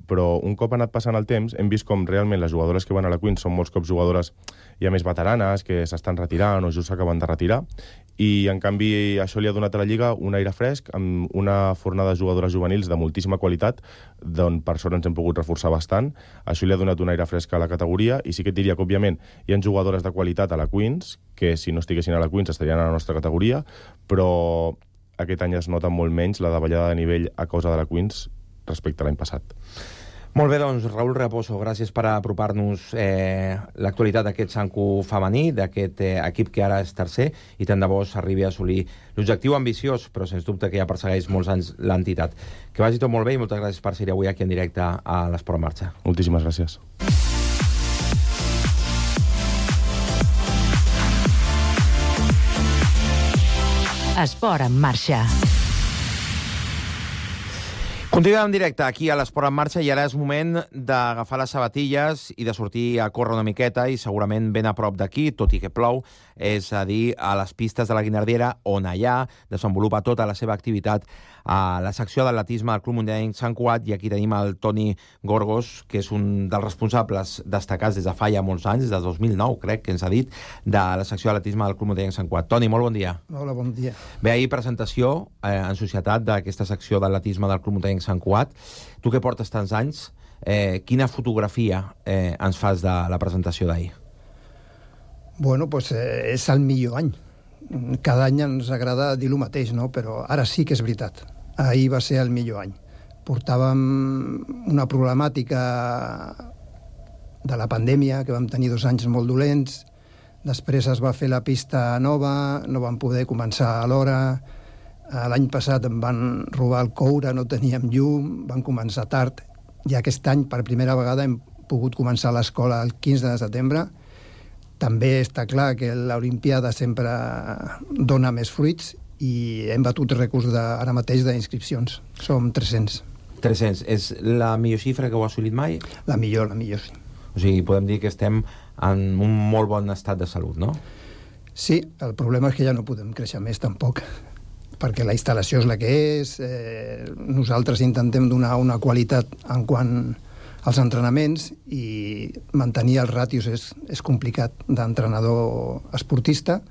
Però un cop ha anat passant el temps, hem vist com realment les jugadores que van a la Queens són molts cops jugadores ja més veteranes, que s'estan retirant o just s'acaben de retirar, i en canvi això li ha donat a la Lliga un aire fresc, amb una fornada de jugadores juvenils de moltíssima qualitat, d'on per sort ens hem pogut reforçar bastant. Això li ha donat un aire fresc a la categoria, i sí que et diria que, òbviament, hi ha jugadores de qualitat a la Queens, que si no estiguessin a la Queens estarien a la nostra categoria, però aquest any es nota molt menys la davallada de nivell a causa de la Queens respecte a l'any passat. Molt bé, doncs, Raül Raposo, gràcies per apropar-nos l'actualitat d'aquest Sanco femení, d'aquest equip que ara és tercer, i tant de bo s'arribi a assolir l'objectiu ambiciós, però sens dubte que ja persegueix molts anys l'entitat. Que vagi tot molt bé i moltes gràcies per ser avui aquí en directe a l'Esport en Marxa. Moltíssimes gràcies. Esport en Marxa. Continuem en directe aquí a l'Esport en Marxa i ara és moment d'agafar les sabatilles i de sortir a córrer una miqueta i segurament ben a prop d'aquí, tot i que plou, és a dir, a les pistes de la Guinardera, on allà desenvolupa tota la seva activitat a la secció d'atletisme del Club Mundial Sant Cugat, i aquí tenim el Toni Gorgos, que és un dels responsables destacats des de fa ja molts anys, des de 2009, crec que ens ha dit, de la secció d'atletisme del Club Mundial Sant Cugat. Toni, molt bon dia. Hola, bon dia. Bé, ahir presentació en societat d'aquesta secció d'atletisme del Club Mundial Sant Cugat. Tu que portes tants anys, quina fotografia ens fas de la presentació d'ahir? Bueno, pues és el millor any. Cada any ens agrada dir el mateix, no? Però ara sí que és veritat. Ahir va ser el millor any. Portàvem una problemàtica de la pandèmia, que vam tenir 2 anys molt dolents, després es va fer la pista nova, no vam poder començar a l'hora. L'any passat em van robar el coure, no teníem llum, van començar tard, i aquest any per primera vegada hem pogut començar l'escola el 15 de setembre. També està clar que l'Olimpiada sempre dona més fruits i hem batut rècords ara mateix d'inscripcions. Som 300. 300. És la millor xifra que heu assolit mai? La millor, sí. O sigui, podem dir que estem en un molt bon estat de salut, no? Sí, el problema és que ja no podem créixer més tampoc, perquè la instal·lació és la que és, nosaltres intentem donar una qualitat en quant als entrenaments i mantenir els ràtios és complicat d'entrenador esportista,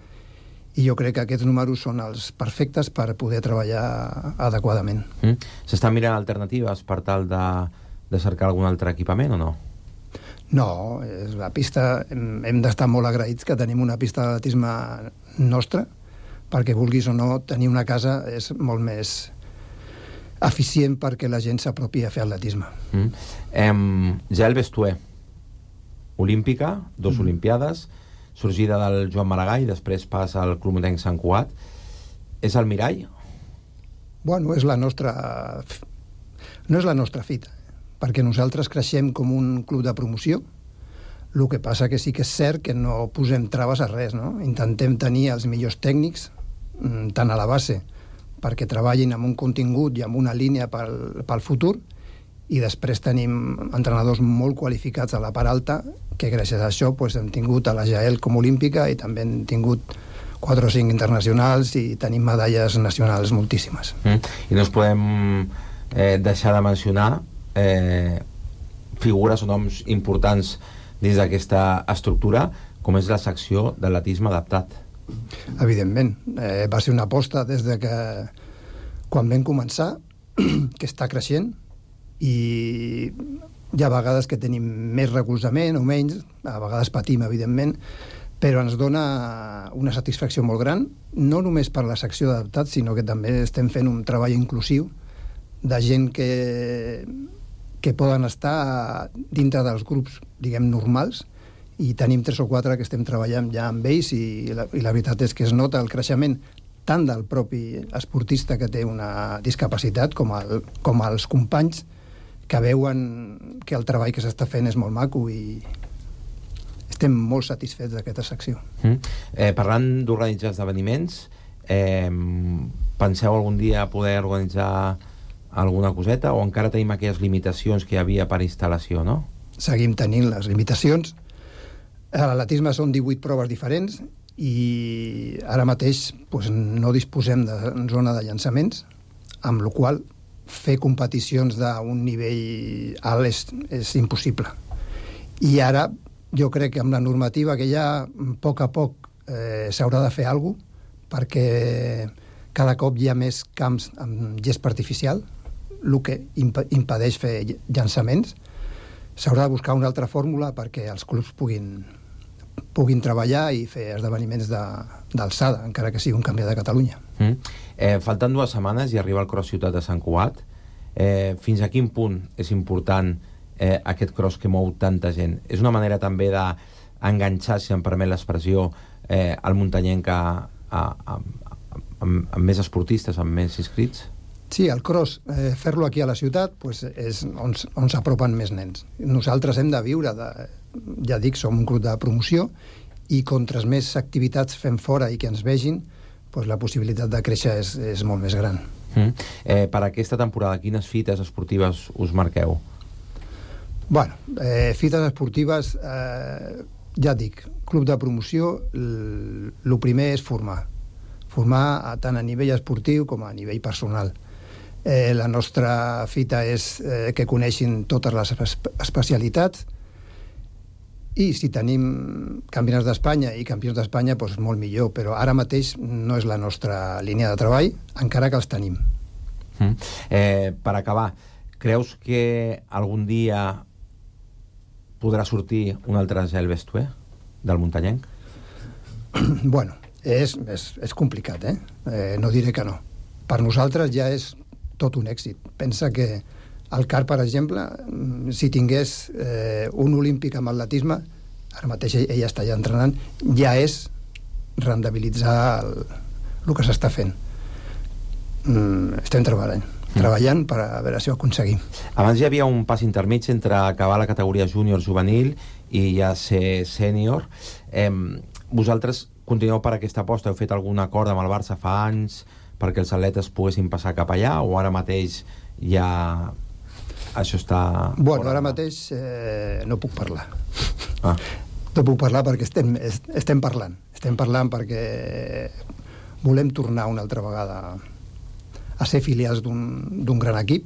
i jo crec que aquests números són els perfectes per poder treballar adequadament. S'estan mirant alternatives per tal de cercar algun altre equipament o no? No, la pista, hem d'estar molt agraïts que tenim una pista d'atletisme nostra, perquè vulguis o no, tenir una casa és molt més eficient perquè la gent s'apropi a fer atletisme. Jael Bestué, olímpica, 2 olimpiades, sorgida del Joan Maragall, després passa al Club Motenc Sant Cugat. És el mirall? Bueno, no és la nostra fita, perquè nosaltres creixem com un club de promoció. El que passa que sí que és cert que no posem traves a res, no? Intentem tenir els millors tècnics, tant a la base, perquè treballin amb un contingut i amb una línia pel futur, i després tenim entrenadors molt qualificats a la part alta, que gràcies a això hem tingut a la Jael com olímpica i també hem tingut 4 o 5 internacionals i tenim medalles nacionals moltíssimes. I no us podem deixar de mencionar figures o noms importants dins d'aquesta estructura, com és la secció d'atletisme adaptat. Evidentment. Va ser una aposta des de que quan vam començar, que està creixent, i hi ha vegades que tenim més recolzament o menys, a vegades patim, evidentment, però ens dona una satisfacció molt gran, no només per la secció d'adaptat, sinó que també estem fent un treball inclusiu de gent que poden estar dintre dels grups, diguem, normals, i tenim 3 o 4 que estem treballant ja amb ells, i la veritat és que es nota el creixement tant del propi esportista que té una discapacitat com els companys que veuen que el treball que s'està fent és molt maco, i estem molt satisfets d'aquesta secció. Parlant d'organitzar esdeveniments, penseu algun dia poder organitzar alguna coseta, o encara tenim aquelles limitacions que hi havia per instal·lació, no? Seguim tenint les limitacions. A l'atletisme són 18 proves diferents i ara mateix no disposem de zona de llançaments, amb la qual fer competicions d'un nivell alt és impossible. I ara jo crec que amb la normativa que hi ha, a poc s'haurà de fer alguna cosa, perquè cada cop hi ha més camps amb gespa artificial, el que impedeix fer llançaments. S'haurà de buscar una altra fórmula perquè els clubs puguin treballar i fer esdeveniments d'alçada, encara que sigui un canvi de Catalunya. Falten 2 setmanes i arriba el Cross Ciutat de Sant Cugat. Fins a quin punt és important aquest cross que mou tanta gent? És una manera també d'enganxar, si em permet l'expressió, al muntanyenc amb més esportistes, amb més inscrits? Sí, el cross, fer-lo aquí a la ciutat és on s'apropen més nens. Nosaltres hem de viure, ja dic, som un club de promoció, i contra més activitats fem fora i que ens vegin, la possibilitat de créixer és molt més gran. Per aquesta temporada, quines fites esportives us marqueu? Bueno, fites esportives, ja dic, club de promoció, el primer és formar tant a nivell esportiu com a nivell personal. La nostra fita és que coneixin totes les especialitats, i si tenim campionats d'Espanya i campions d'Espanya, molt millor, però ara mateix no és la nostra línia de treball, encara que els tenim. Per acabar, creus que algun dia podrà sortir un altre Jael Bestué del muntanyenc? Bueno, és complicat, no diré que no. Per nosaltres ja és tot un èxit. Pensa que el CAR, per exemple, si tingués un olímpic amb atletisme, ara mateix ell està ja entrenant, ja és rendibilitzar el que s'està fent. Estem treballant per a veure si ho aconseguim. Abans hi havia un pas intermig entre acabar la categoria júnior juvenil i ja ser sènior. Vosaltres continueu per aquesta aposta? Heu fet algun acord amb el Barça fa anys perquè els atletes poguessin passar cap allà, o ara mateix ja això està... Bueno, ara mateix no puc parlar. No puc parlar perquè estem parlant. Estem parlant perquè volem tornar una altra vegada a ser filials d'un gran equip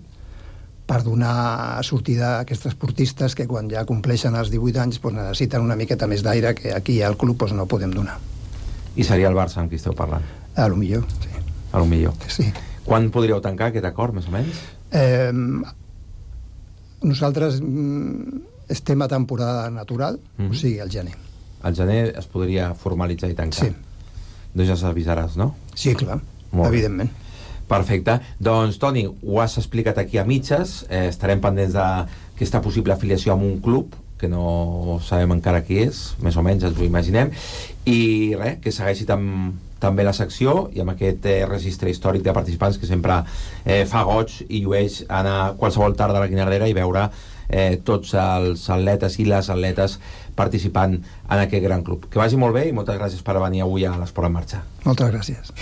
per donar sortida a aquests esportistes que quan ja compleixen els 18 anys necessiten una miqueta més d'aire que aquí al club no podem donar. I seria el Barça amb qui esteu parlant? A lo millor, sí. A lo millor. Sí. Quan podríeu tancar aquest acord, més o menys? Nosaltres estem a temporada natural, o sigui, al gener. Al gener es podria formalitzar i tancar? Sí. Doncs ja s'avisaràs, no? Sí, clar, evidentment. Perfecte. Doncs, Toni, ho has explicat aquí a mitges. Estarem pendents d'aquesta possible afiliació amb un club, que no sabem encara qui és, més o menys ens ho imaginem, i res, que segueixi també la secció i amb aquest registre històric de participants que sempre fa goig i llueix anar qualsevol tarda a la Guinardera i veure tots els atletes i les atletes participant en aquest gran club. Que vagi molt bé i moltes gràcies per venir avui a l'Esport en Marxa. Moltes gràcies.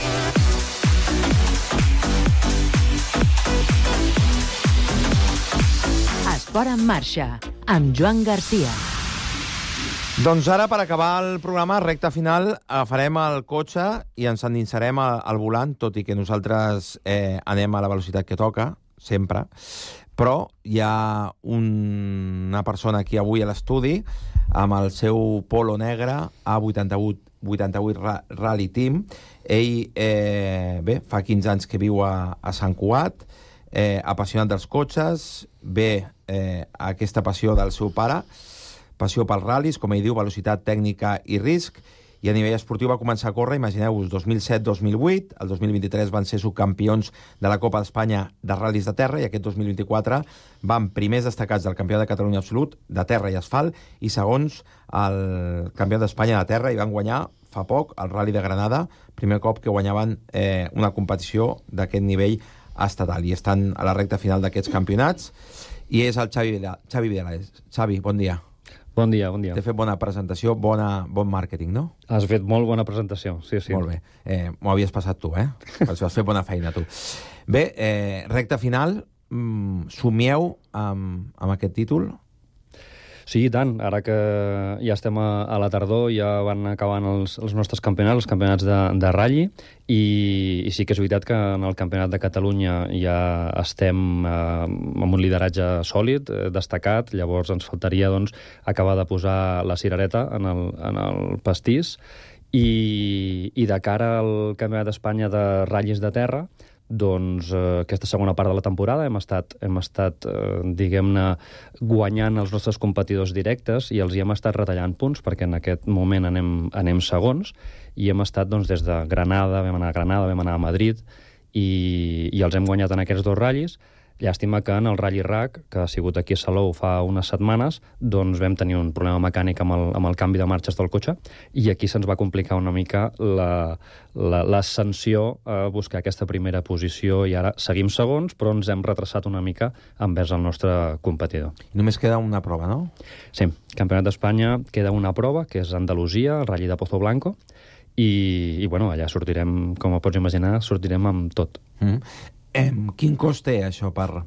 Esport en Marxa, amb Joan Garcia. Doncs ara, per acabar el programa, recta final, agafarem el cotxe i ens endinsarem al volant, tot i que nosaltres anem a la velocitat que toca, sempre, però hi ha una persona aquí avui a l'estudi amb el seu polo negre A88 Rally Team. Ell, fa 15 anys que viu a Sant Cugat, apassionat dels cotxes, aquesta passió del seu pare, passió pels ral·lis, com ell diu, velocitat, tècnica i risc, i a nivell esportiu va començar a córrer, imagineu-vos, 2007-2008, el 2023 van ser subcampions de la Copa d'Espanya de ral·lis de terra, i aquest 2024 van primers destacats del campió de Catalunya absolut, de terra i asfalt, i segons el campió d'Espanya de terra, i van guanyar fa poc el Rally de Granada, primer cop que guanyaven una competició d'aquest nivell estatal, i estan a la recta final d'aquests campionats, i és el Xavi Vidal. Xavi, bon dia. Bon dia, bon dia. T'he fet bona presentació, bon màrqueting, no? Has fet molt bona presentació, sí. Molt bé. M'ho havies passat tu, Per això has fet bona feina, tu. Bé, recta final, somieu amb aquest títol? Sí, i tant. Ara que ja estem a la tardor, ja van acabant els nostres campionats, els campionats de ratll, i sí que és veritat que en el Campionat de Catalunya ja estem amb un lideratge sòlid, destacat. Llavors ens faltaria acabar de posar la cirereta en el pastís, i de cara al Campionat d'Espanya de ratllis de terra, aquesta segona part de la temporada hem estat diguem-ne, guanyant els nostres competidors directes i els hi hem estat retallant punts, perquè en aquest moment anem segons, i hem estat des de Granada, vam anar a Madrid, i els hem guanyat en aquests dos ratllis. Llàstima que en el Rally RAC, que ha sigut aquí a Salou fa unes setmanes, vam tenir un problema mecànic amb el canvi de marxes del cotxe, i aquí se'ns va complicar una mica l'ascensió a buscar aquesta primera posició, i ara seguim segons, però ens hem retrasat una mica envers el nostre competidor. Només queda una prova, no? Sí, Campionat d'Espanya queda una prova, que és Andalusia, el Rally de Pozo Blanco, i allà sortirem, com pots imaginar, sortirem amb tot. Quin cost té això per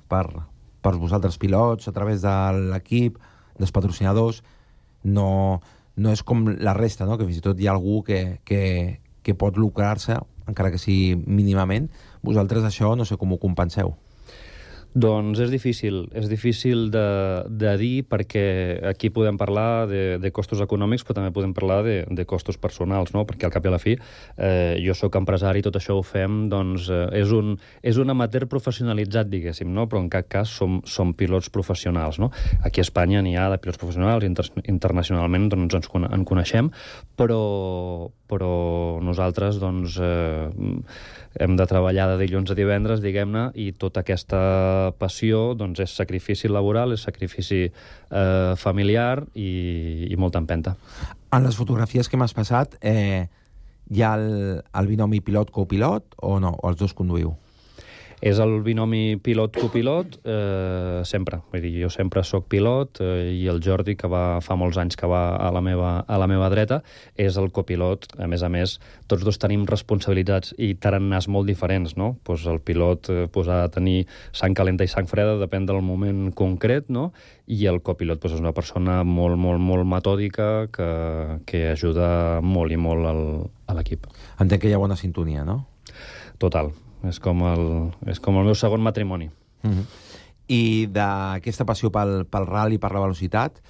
vosaltres pilots, a través de l'equip, dels patrocinadors? No és com la resta, no? Que fins i tot hi ha algú que pot lucrar-se, encara que sigui mínimament. Vosaltres això no sé com ho compenseu. Doncs és difícil de dir, perquè aquí podem parlar de costos econòmics, però també podem parlar de costos personals, no? Perquè al cap i a la fi jo sóc empresari, tot això ho fem, és un amateur professionalitzat, diguéssim, no? Però en cap cas som pilots professionals, no? Aquí a Espanya n'hi ha de pilots professionals, internacionalment ens coneixem, però nosaltres hem de treballar de dilluns a divendres, diguem-ne, i tota aquesta passió és sacrifici laboral, és sacrifici familiar i molta empenta. En les fotografies que m'has passat hi ha el binomi pilot-copilot o no? O els dos conduïu? És el binomi pilot-copilot, sempre. Vull dir, jo sempre sóc pilot, i el Jordi, que fa molts anys que va a la meva dreta, és el copilot. A més, tots dos tenim responsabilitats i tarannars molt diferents, no? Pues el pilot ha de tenir sang calenta i sang freda, depèn del moment concret, no? I el copilot és una persona molt, molt, molt metòdica que ajuda molt i molt a l'equip. Entenc que hi ha bona sintonia, no? Total. És com el meu segon matrimoni. I d'aquesta passió pel rally, per la velocitat,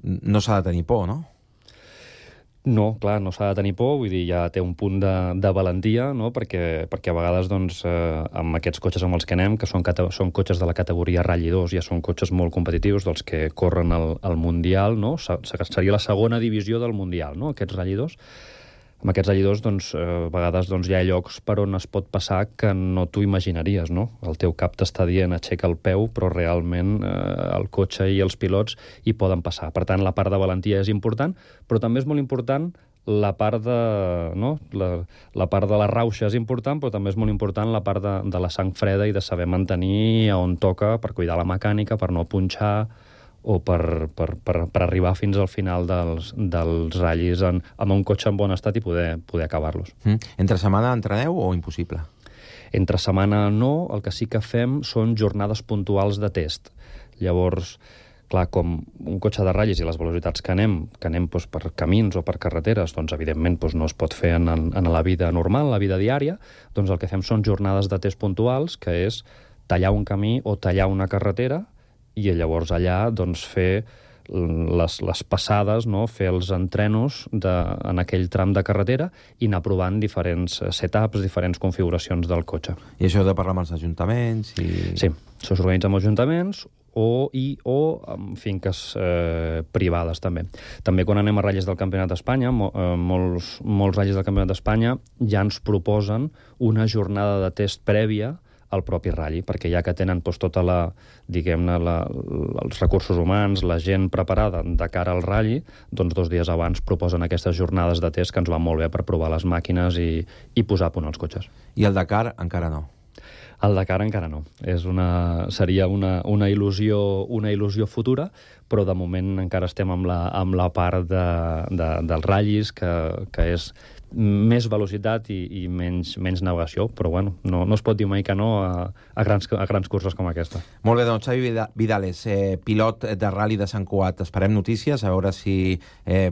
no s'ha de tenir por, no? No, clar, no s'ha de tenir por, vull dir, ja té un punt de valentia, no? perquè a vegades doncs, amb aquests cotxes amb els que anem, que són cotxes de la categoria Rally 2, ja són cotxes molt competitius, dels que corren al Mundial, no? Seria la segona divisió del Mundial, no? Aquests Rally 2. Amb aquests Rally 2, doncs, a vegades doncs, hi ha llocs per on es pot passar que no t'ho imaginaries, no? El teu cap t'està dient aixeca el peu, però realment el cotxe i els pilots hi poden passar. Per tant, la part de valentia és important, però també és molt important la part de... No? La part de la rauxa és important, però també és molt important la part de la sang freda i de saber mantenir on toca per cuidar la mecànica, per no punxar o per arribar fins al final dels ratllis amb un cotxe en bon estat i poder acabar-los. Entre setmana entreneu o impossible? Entre setmana no, el que sí que fem són jornades puntuals de test. Llavors, clar, com un cotxe de ratllis i les velocitats que anem doncs, per camins o per carreteres, doncs evidentment doncs, no es pot fer en la vida normal, la vida diària, doncs el que fem són jornades de test puntuals, que és tallar un camí o tallar una carretera, i llavors allà doncs, fer les passades, no? Fer els entrenos en aquell tram de carretera i anar provant diferents setups, diferents configuracions del cotxe. I això heu de parlar amb els ajuntaments? Sí, això s'organitza amb ajuntaments o amb finques privades també. També quan anem a ratllis del Campionat d'Espanya, molts ratllis del Campionat d'Espanya ja ens proposen una jornada de test prèvia al propi ratll, perquè ja que tenen doncs, tota els recursos humans, la gent preparada de cara al ratll, doncs 2 dies abans proposen aquestes jornades de test que ens van molt bé per provar les màquines i posar a punt els cotxes. I el Dakar encara no? El Dakar encara no. Seria una il·lusió futura, però de moment encara estem amb la part dels ratllis, que és més velocitat i menys navegació, però bueno, no es pot dir mai que no a grans curses com aquesta. Molt bé, doncs Xavi Vidales, pilot de Rally de Sant Cugat. Esperem notícies, a veure si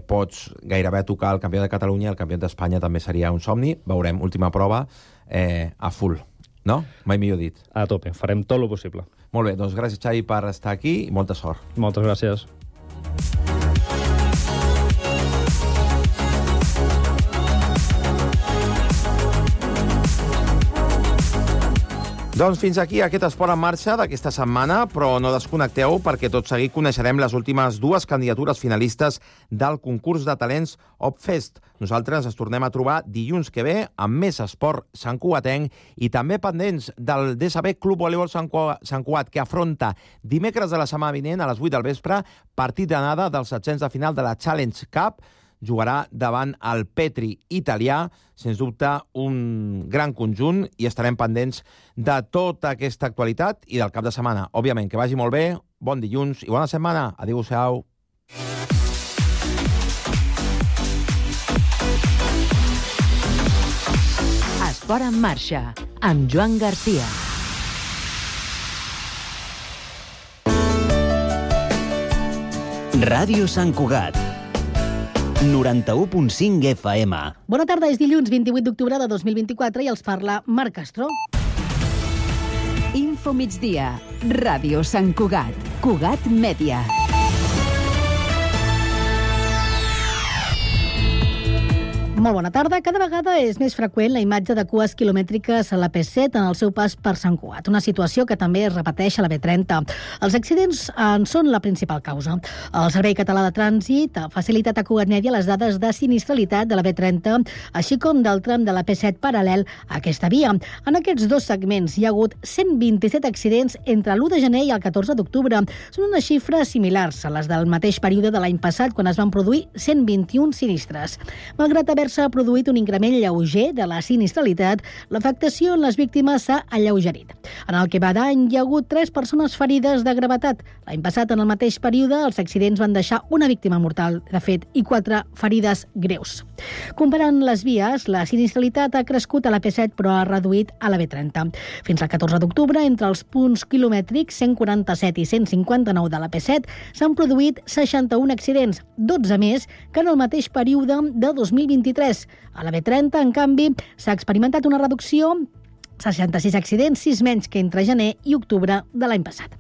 pots gairebé tocar el campió de Catalunya, el campió d'Espanya també seria un somni. Veurem, última prova a full, no? Mai millor dit. A tope, farem tot el possible. Molt bé, doncs gràcies Xavi per estar aquí i molta sort. Moltes gràcies. Doncs fins aquí aquest Esport en Marxa d'aquesta setmana, però no desconnecteu perquè tot seguit coneixerem les últimes 2 candidatures finalistes del concurs de talents Opfest. Nosaltres ens tornem a trobar dilluns que ve amb més esport santcugatenc i també pendents del DSB Club Voleibol Sant Cugat, que afronta dimecres de la setmana vinent a les 8 del vespre partit d'anada dels 16 de final de la Challenge Cup. Jugarà davant el Petri italià, sens dubte un gran conjunt, i estarem pendents de tota aquesta actualitat i del cap de setmana. Òbviament, que vagi molt bé, bon dilluns i bona setmana. Adéu-siau. Esport en Marxa, amb Joan Garcia. Ràdio Sant Cugat, 91.5 FM. Bona tarda, és dilluns 28 d'octubre de 2024 i els parla Marc Castro. Info migdia, Ràdio Sant Cugat, Cugat Mèdia. Molt bona tarda. Cada vegada és més freqüent la imatge de cues quilomètriques a la P7 en el seu pas per Sant Cugat, una situació que també es repeteix a la B30. Els accidents en són la principal causa. El Servei Català de Trànsit ha facilitat a Cugat Mèdia les dades de sinistralitat de la B30, així com del tram de la P7 paral·lel a aquesta via. En aquests 2 segments hi ha hagut 127 accidents entre l'1 de gener i el 14 d'octubre. Són unes xifres similars a les del mateix període de l'any passat, quan es van produir 121 sinistres. Malgrat haver-se produït un increment lleuger de la sinistralitat, l'afectació en les víctimes s'ha alleugerit. En el que va d'any hi ha hagut 3 persones ferides de gravetat. L'any passat, en el mateix període, els accidents van deixar una víctima mortal, de fet, i 4 ferides greus. Comparant les vies, la sinistralitat ha crescut a la P7, però ha reduït a la B30. Fins al 14 d'octubre, entre els punts quilomètrics 147 i 159 de la P7, s'han produït 61 accidents, 12 més que en el mateix període de 2023. A la B30, en canvi, s'ha experimentat una reducció 66 accidents, 6 menys que entre gener i octubre de l'any passat.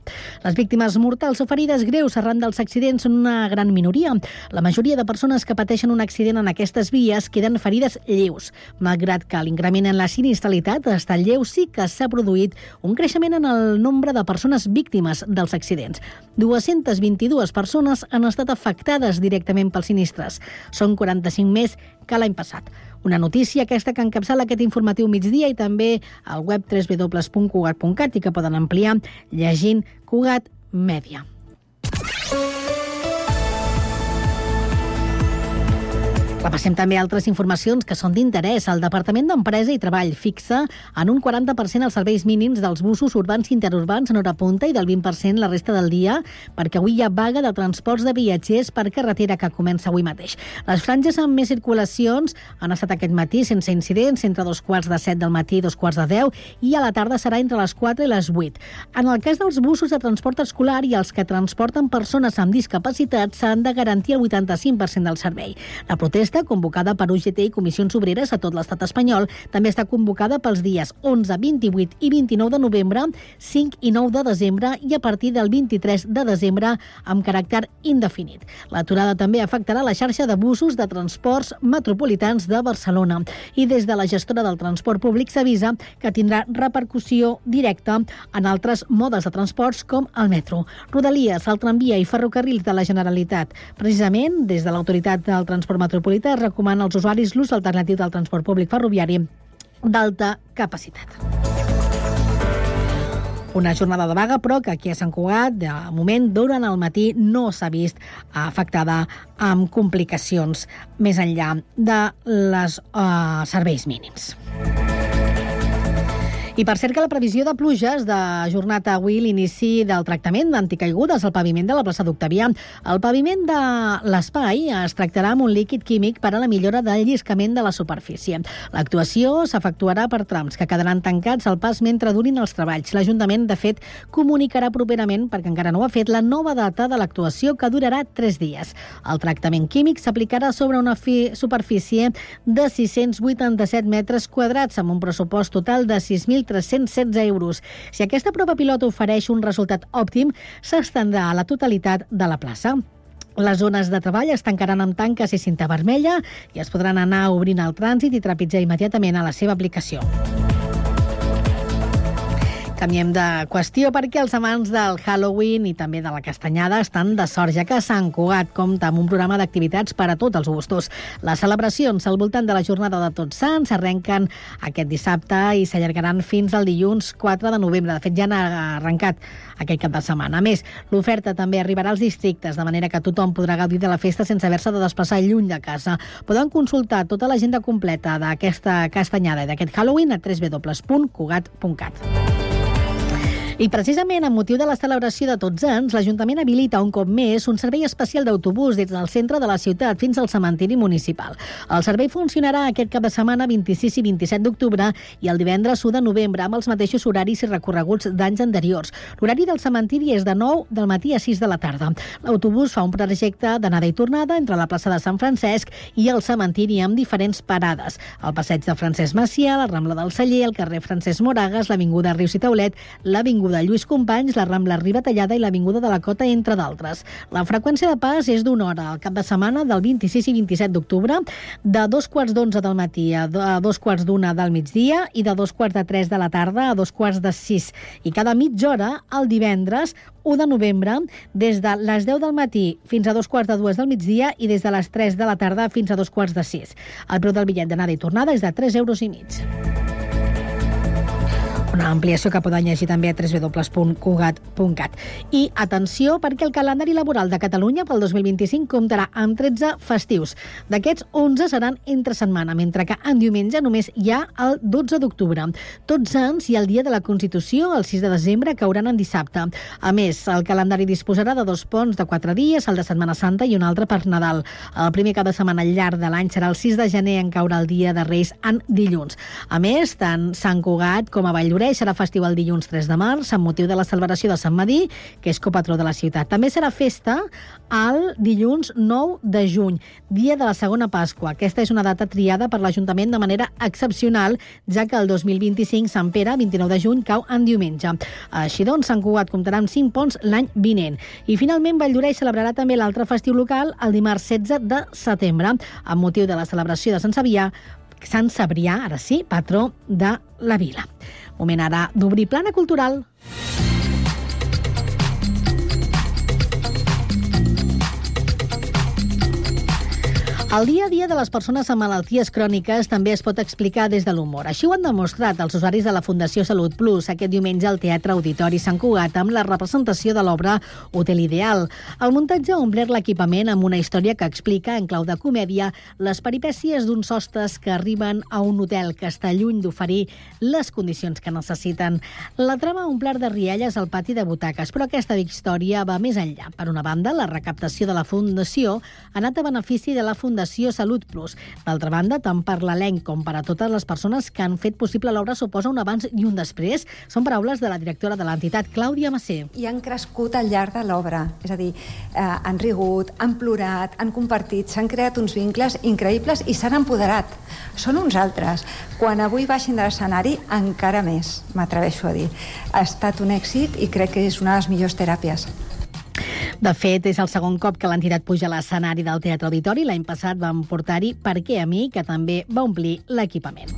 Les víctimes mortals o ferides greus arran dels accidents són una gran minoria. La majoria de persones que pateixen un accident en aquestes vies queden ferides lleus. Malgrat que l'increment en la sinistralitat ha estat lleu, sí que s'ha produït un creixement en el nombre de persones víctimes dels accidents. 222 persones han estat afectades directament pels sinistres. Són 45 més que l'any passat. Una notícia aquesta que encapçala aquest informatiu migdia i també al web www.cugat.cat i que poden ampliar llegint Cugat Mèdia. Repassem també altres informacions que són d'interès. El Departament d'Empresa i Treball fixa en un 40% els serveis mínims dels busos urbans i interurbans en hora punta i del 20% la resta del dia, perquè avui hi ha vaga de transports de viatgers per carretera que comença avui mateix. Les franges amb més circulacions han estat aquest matí sense incidents, entre 2:45 del matí i 2:10, i a la tarda serà entre les 4 i les 8. En el cas dels busos de transport escolar i els que transporten persones amb discapacitat s'han de garantir el 85% del servei. La protesta, convocada per UGT i Comissions Obreres a tot l'estat espanyol, també està convocada pels dies 11, 28 i 29 de novembre, 5 i 9 de desembre i a partir del 23 de desembre amb caràcter indefinit. L'aturada també afectarà la xarxa de busos de transports metropolitans de Barcelona i des de la gestora del transport públic s'avisa que tindrà repercussió directa en altres modes de transports com el metro, Rodalies, el tramvia i ferrocarrils de la Generalitat. Precisament, des de l'Autoritat del Transport Metropolità es recomana als usuaris l'ús alternatiu del transport públic ferroviari d'alta capacitat. Una jornada de vaga, però que aquí a Sant Cugat, de moment, durant el matí no s'ha vist afectada amb complicacions més enllà de les serveis mínims. I per cert que la previsió de pluges de jornada avui l'inici del tractament d'anticaigudes al paviment de la plaça d'Octavià. El paviment de l'espai es tractarà amb un líquid químic per a la millora del lliscament de la superfície. L'actuació s'efectuarà per trams que quedaran tancats al pas mentre durin els treballs. L'Ajuntament, de fet, comunicarà properament, perquè encara no ho ha fet, la nova data de l'actuació que durarà 3 dies. El tractament químic s'aplicarà sobre una superfície de 687 metres quadrats amb un pressupost total de 6.316 euros. Si aquesta prova pilot ofereix un resultat òptim, s'estendrà a la totalitat de la plaça. Les zones de treball es tancaran amb tanques i cinta vermella i es podran anar obrint el trànsit i trepitjar immediatament a la seva aplicació. Canviem de qüestió perquè els amants del Halloween i també de la castanyada estan de sort, ja que Sant Cugat compta amb un programa d'activitats per a tots els gustos. Les celebracions al voltant de la jornada de Tots Sants s'arrenquen aquest dissabte i s'allargaran fins al dilluns 4 de novembre. De fet, ja han arrencat aquest cap de setmana. A més, l'oferta també arribarà als districtes, de manera que tothom podrà gaudir de la festa sense haver-se de desplaçar lluny de casa. Poden consultar tota l'agenda completa d'aquesta castanyada i d'aquest Halloween a www.cugat.cat. I precisament amb motiu de la celebració de Tots Sants, l'Ajuntament habilita un cop més un servei especial d'autobús des del centre de la ciutat fins al cementiri municipal. El servei funcionarà aquest cap de setmana 26 i 27 d'octubre i el divendres 1 de novembre amb els mateixos horaris i recorreguts d'anys anteriors. L'horari del cementiri és de 9 del matí a 6 de la tarda. L'autobús fa un trajecte d'anada i tornada entre la plaça de Sant Francesc i el cementiri amb diferents parades. El passeig de Francesc Macià, la Rambla del Celler, el carrer Francesc Moragas, l'avinguda Rius i Taulet, l'avinguda de Lluís Companys, la Rambla Ribatallada i l'avinguda de la Cota, entre d'altres. La freqüència de pas és d'una hora al cap de setmana del 26 i 27 d'octubre, de 2:45 del matí a 2:45 del migdia i de 2:45 de la tarda a 2:45. I cada mitja hora, el divendres 1 de novembre, des de les 10 del matí fins a 2:45 del migdia i des de les 3 de la tarda fins a 2:45. El preu del bitllet d'anada i tornada és de 3,5 euros. Una ampliació que poden llegir també a www.cugat.cat. I atenció, perquè el calendari laboral de Catalunya pel 2025 comptarà amb 13 festius. D'aquests, 11 seran entre setmana, mentre que en diumenge només hi ha el 12 d'octubre. Tots Sants i el Dia de la Constitució, el 6 de desembre, cauran en dissabte. A més, el calendari disposarà de 2 ponts de 4 dies, el de Setmana Santa i un altre per Nadal. El primer cap de setmana al llarg de l'any serà el 6 de gener, en caurà el Dia de Reis en dilluns. A més, tant Sant Cugat com a Valldoreix Reis serà festiu el dilluns 3 de març amb motiu de la celebració de Sant Medir, que és copatró de la ciutat. També serà festa el dilluns 9 de juny, dia de la segona Pasqua. Aquesta és una data triada per l'Ajuntament de manera excepcional, ja que el 2025 Sant Pere, 29 de juny, cau en diumenge. Així doncs, Sant Cugat comptarà amb 5 ponts l'any vinent. I finalment, Valldoreix celebrarà també l'altre festiu local el dimarts 16 de setembre, amb motiu de la celebració de Sant Cebrià, ara sí, patró de la vila. Moment ara d'obrir plana cultural. El dia a dia de les persones amb malalties cròniques també es pot explicar des de l'humor. Així ho han demostrat els usuaris de la Fundació Salut Plus aquest diumenge al Teatre Auditori Sant Cugat amb la representació de l'obra Hotel Ideal. El muntatge ha omplert l'equipament amb una història que explica, en clau de comèdia, les peripècies d'uns hostes que arriben a un hotel que està lluny d'oferir les condicions que necessiten. La trama ha omplert de rialles al pati de butaques, però aquesta història va més enllà. Per una banda, la recaptació de la Fundació ha anat a benefici de la Fundació Salut Plus. D'altra banda, tant per l'elenc com per a totes les persones que han fet possible l'obra suposa un abans i un després. Són paraules de la directora de l'entitat, Clàudia Massé. I han crescut al llarg de l'obra. És a dir, han rigut, han plorat, han compartit, s'han creat uns vincles increïbles i s'han empoderat. Són uns altres. Quan avui baixin de l'escenari, encara més, m'atreveixo a dir. Ha estat un èxit i crec que és una de les millors teràpies. De fet, és el segon cop que l'entitat puja a l'escenari del Teatre Auditori. L'any passat vam portar-hi Per què a mi, que també va omplir l'equipament.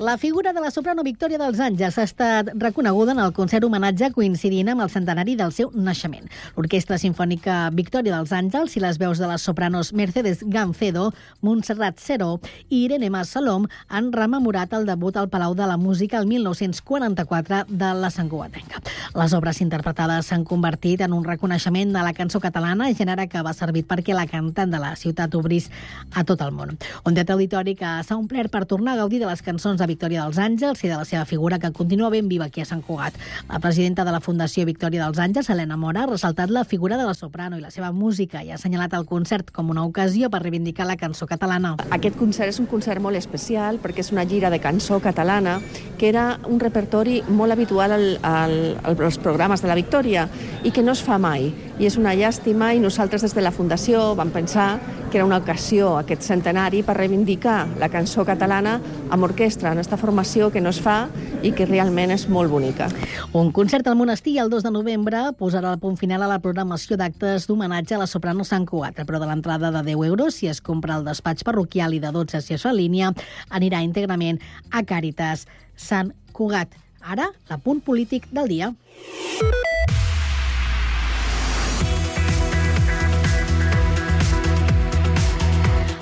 La figura de la soprano Victòria dels Àngels ha estat reconeguda en el concert homenatge coincidint amb el centenari del seu naixement. L'Orquestra Simfònica Victòria dels Àngels i les veus de les sopranos Mercedes Gancedo, Montserrat Seró i Irene Mas Salom han rememorat el debut al Palau de la Música el 1944 de la santcugatenca. Les obres interpretades s'han convertit en un reconeixement de la cançó catalana, gènere que va servir perquè la cantant de la ciutat obrís a tot el món. Un teatre auditori que s'ha omplert per tornar a gaudir de les cançons de Victòria dels Àngels i de la seva figura, que continua ben viva aquí a Sant Cugat. La presidenta de la Fundació Victòria dels Àngels, Helena Mora, ha ressaltat la figura de la soprano i la seva música i ha assenyalat el concert com una ocasió per reivindicar la cançó catalana. Aquest concert és un concert molt especial perquè és una gira de cançó catalana que era un repertori molt habitual als programes de la Victòria i que no es fa mai. I és una llàstima i nosaltres des de la Fundació vam pensar que era una ocasió, aquest centenari, per reivindicar la cançó catalana amb orquestra, en aquesta formació que no es fa i que realment és molt bonica. Un concert al Monestir el 2 de novembre posarà el punt final a la programació d'actes d'homenatge a la soprano Sant Cugat. El preu de l'entrada de 10 euros si es compra al despatx parroquial i de 12 si es fa en línia anirà íntegrament a Càritas Sant Cugat. Ara, l'apunt polític del dia.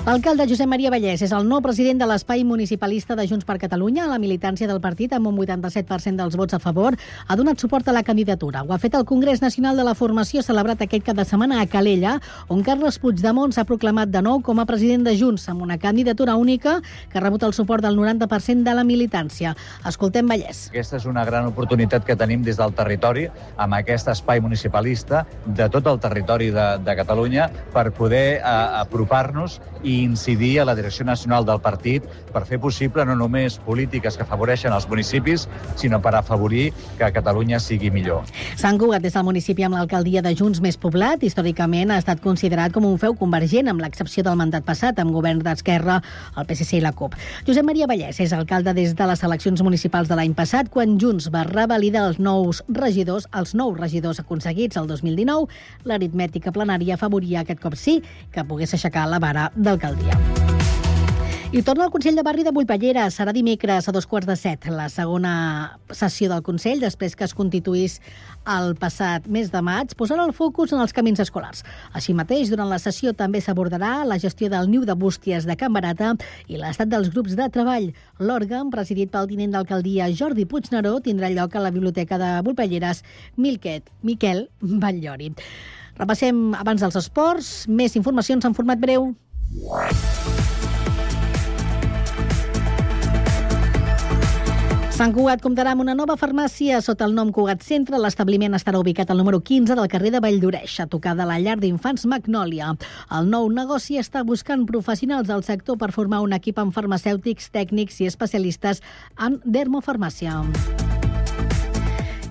L'alcalde Josep Maria Vallès és el nou president de l'espai municipalista de Junts per Catalunya. La militància del partit, amb un 87% dels vots a favor, ha donat suport a la candidatura. Ho ha fet el Congrés Nacional de la Formació, celebrat aquest cap de setmana a Calella, on Carles Puigdemont s'ha proclamat de nou com a president de Junts, amb una candidatura única que ha rebut el suport del 90% de la militància. Escoltem Vallès. Aquesta és una gran oportunitat que tenim des del territori, amb aquest espai municipalista de tot el territori de Catalunya, per poder apropar-nos i incidir a la direcció nacional del partit per fer possible no només polítiques que afavoreixen els municipis, sinó per afavorir que Catalunya sigui millor. Sant Cugat és el municipi amb l'alcaldia de Junts més poblat. Històricament ha estat considerat com un feu convergent, amb l'excepció del mandat passat, amb govern d'Esquerra, el PSC i la CUP. Josep Maria Vallès és alcalde des de les eleccions municipals de l'any passat, quan Junts va revalidar els nous regidors aconseguits el 2019. L'aritmètica plenària afavoria aquest cop sí que pogués aixecar la vara d'alcaldia. I torna al Consell de Barri de Bullpallera. Serà dimecres a 2:15, la segona sessió del Consell, després que es constituís el passat mes de maig, posarà el focus en els camins escolars. Així mateix, durant la sessió també s'abordarà la gestió del niu de bústies de Can Barata i l'estat dels grups de treball. L'òrgan, presidit pel tinent d'alcaldia Jordi Puigneró, tindrà lloc a la Biblioteca de Bullpalleres Miquel Batllori. Repassem abans dels esports, més informacions en format breu. Sant Cugat comptarà amb una nova farmàcia sota el nom Cugat Centre. L'establiment estarà ubicat al número 15 del carrer de Valldoreix, a tocar de la llar d'infants Magnòlia. El nou negoci està buscant professionals del sector per formar un equip amb farmacèutics, tècnics i especialistes en dermofarmàcia.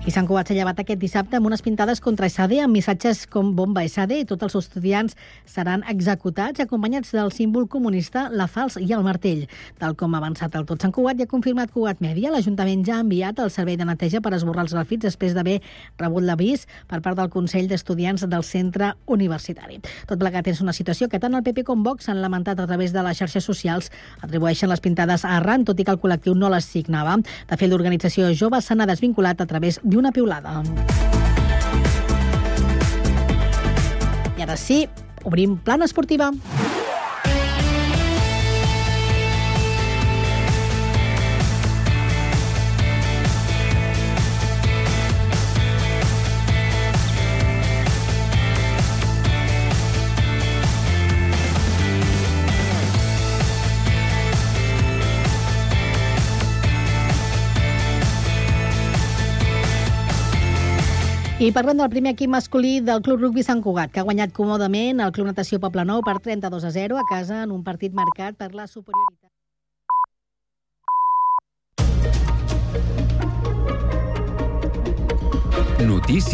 I Sant Cugat s'ha llevat aquest dissabte amb unes pintades contra SAD amb missatges com bomba SAD i tots els estudiants seran executats acompanyats del símbol comunista, la falç i el martell. Tal com ha avançat el Tot Sant Cugat i ha confirmat Cugat Mèdia, l'Ajuntament ja ha enviat el servei de neteja per esborrar els grafits després d'haver rebut l'avís per part del Consell d'Estudiants del centre universitari. Tot plegat és una situació que tant el PP com Vox han lamentat a través de les xarxes socials. Atribueixen les pintades a Arran, tot i que el col·lectiu no les signava. De fet, l'organització jove se n'ha desvinculat a través d'una piulada. I ara sí, obrim plana esportiva. I parlem del primer equip masculí del Club Rugbi Sant Cugat, que ha guanyat còmodament el Club Natació Poblenou per 32-0 a casa en un partit marcat per la superioritat. Notícies.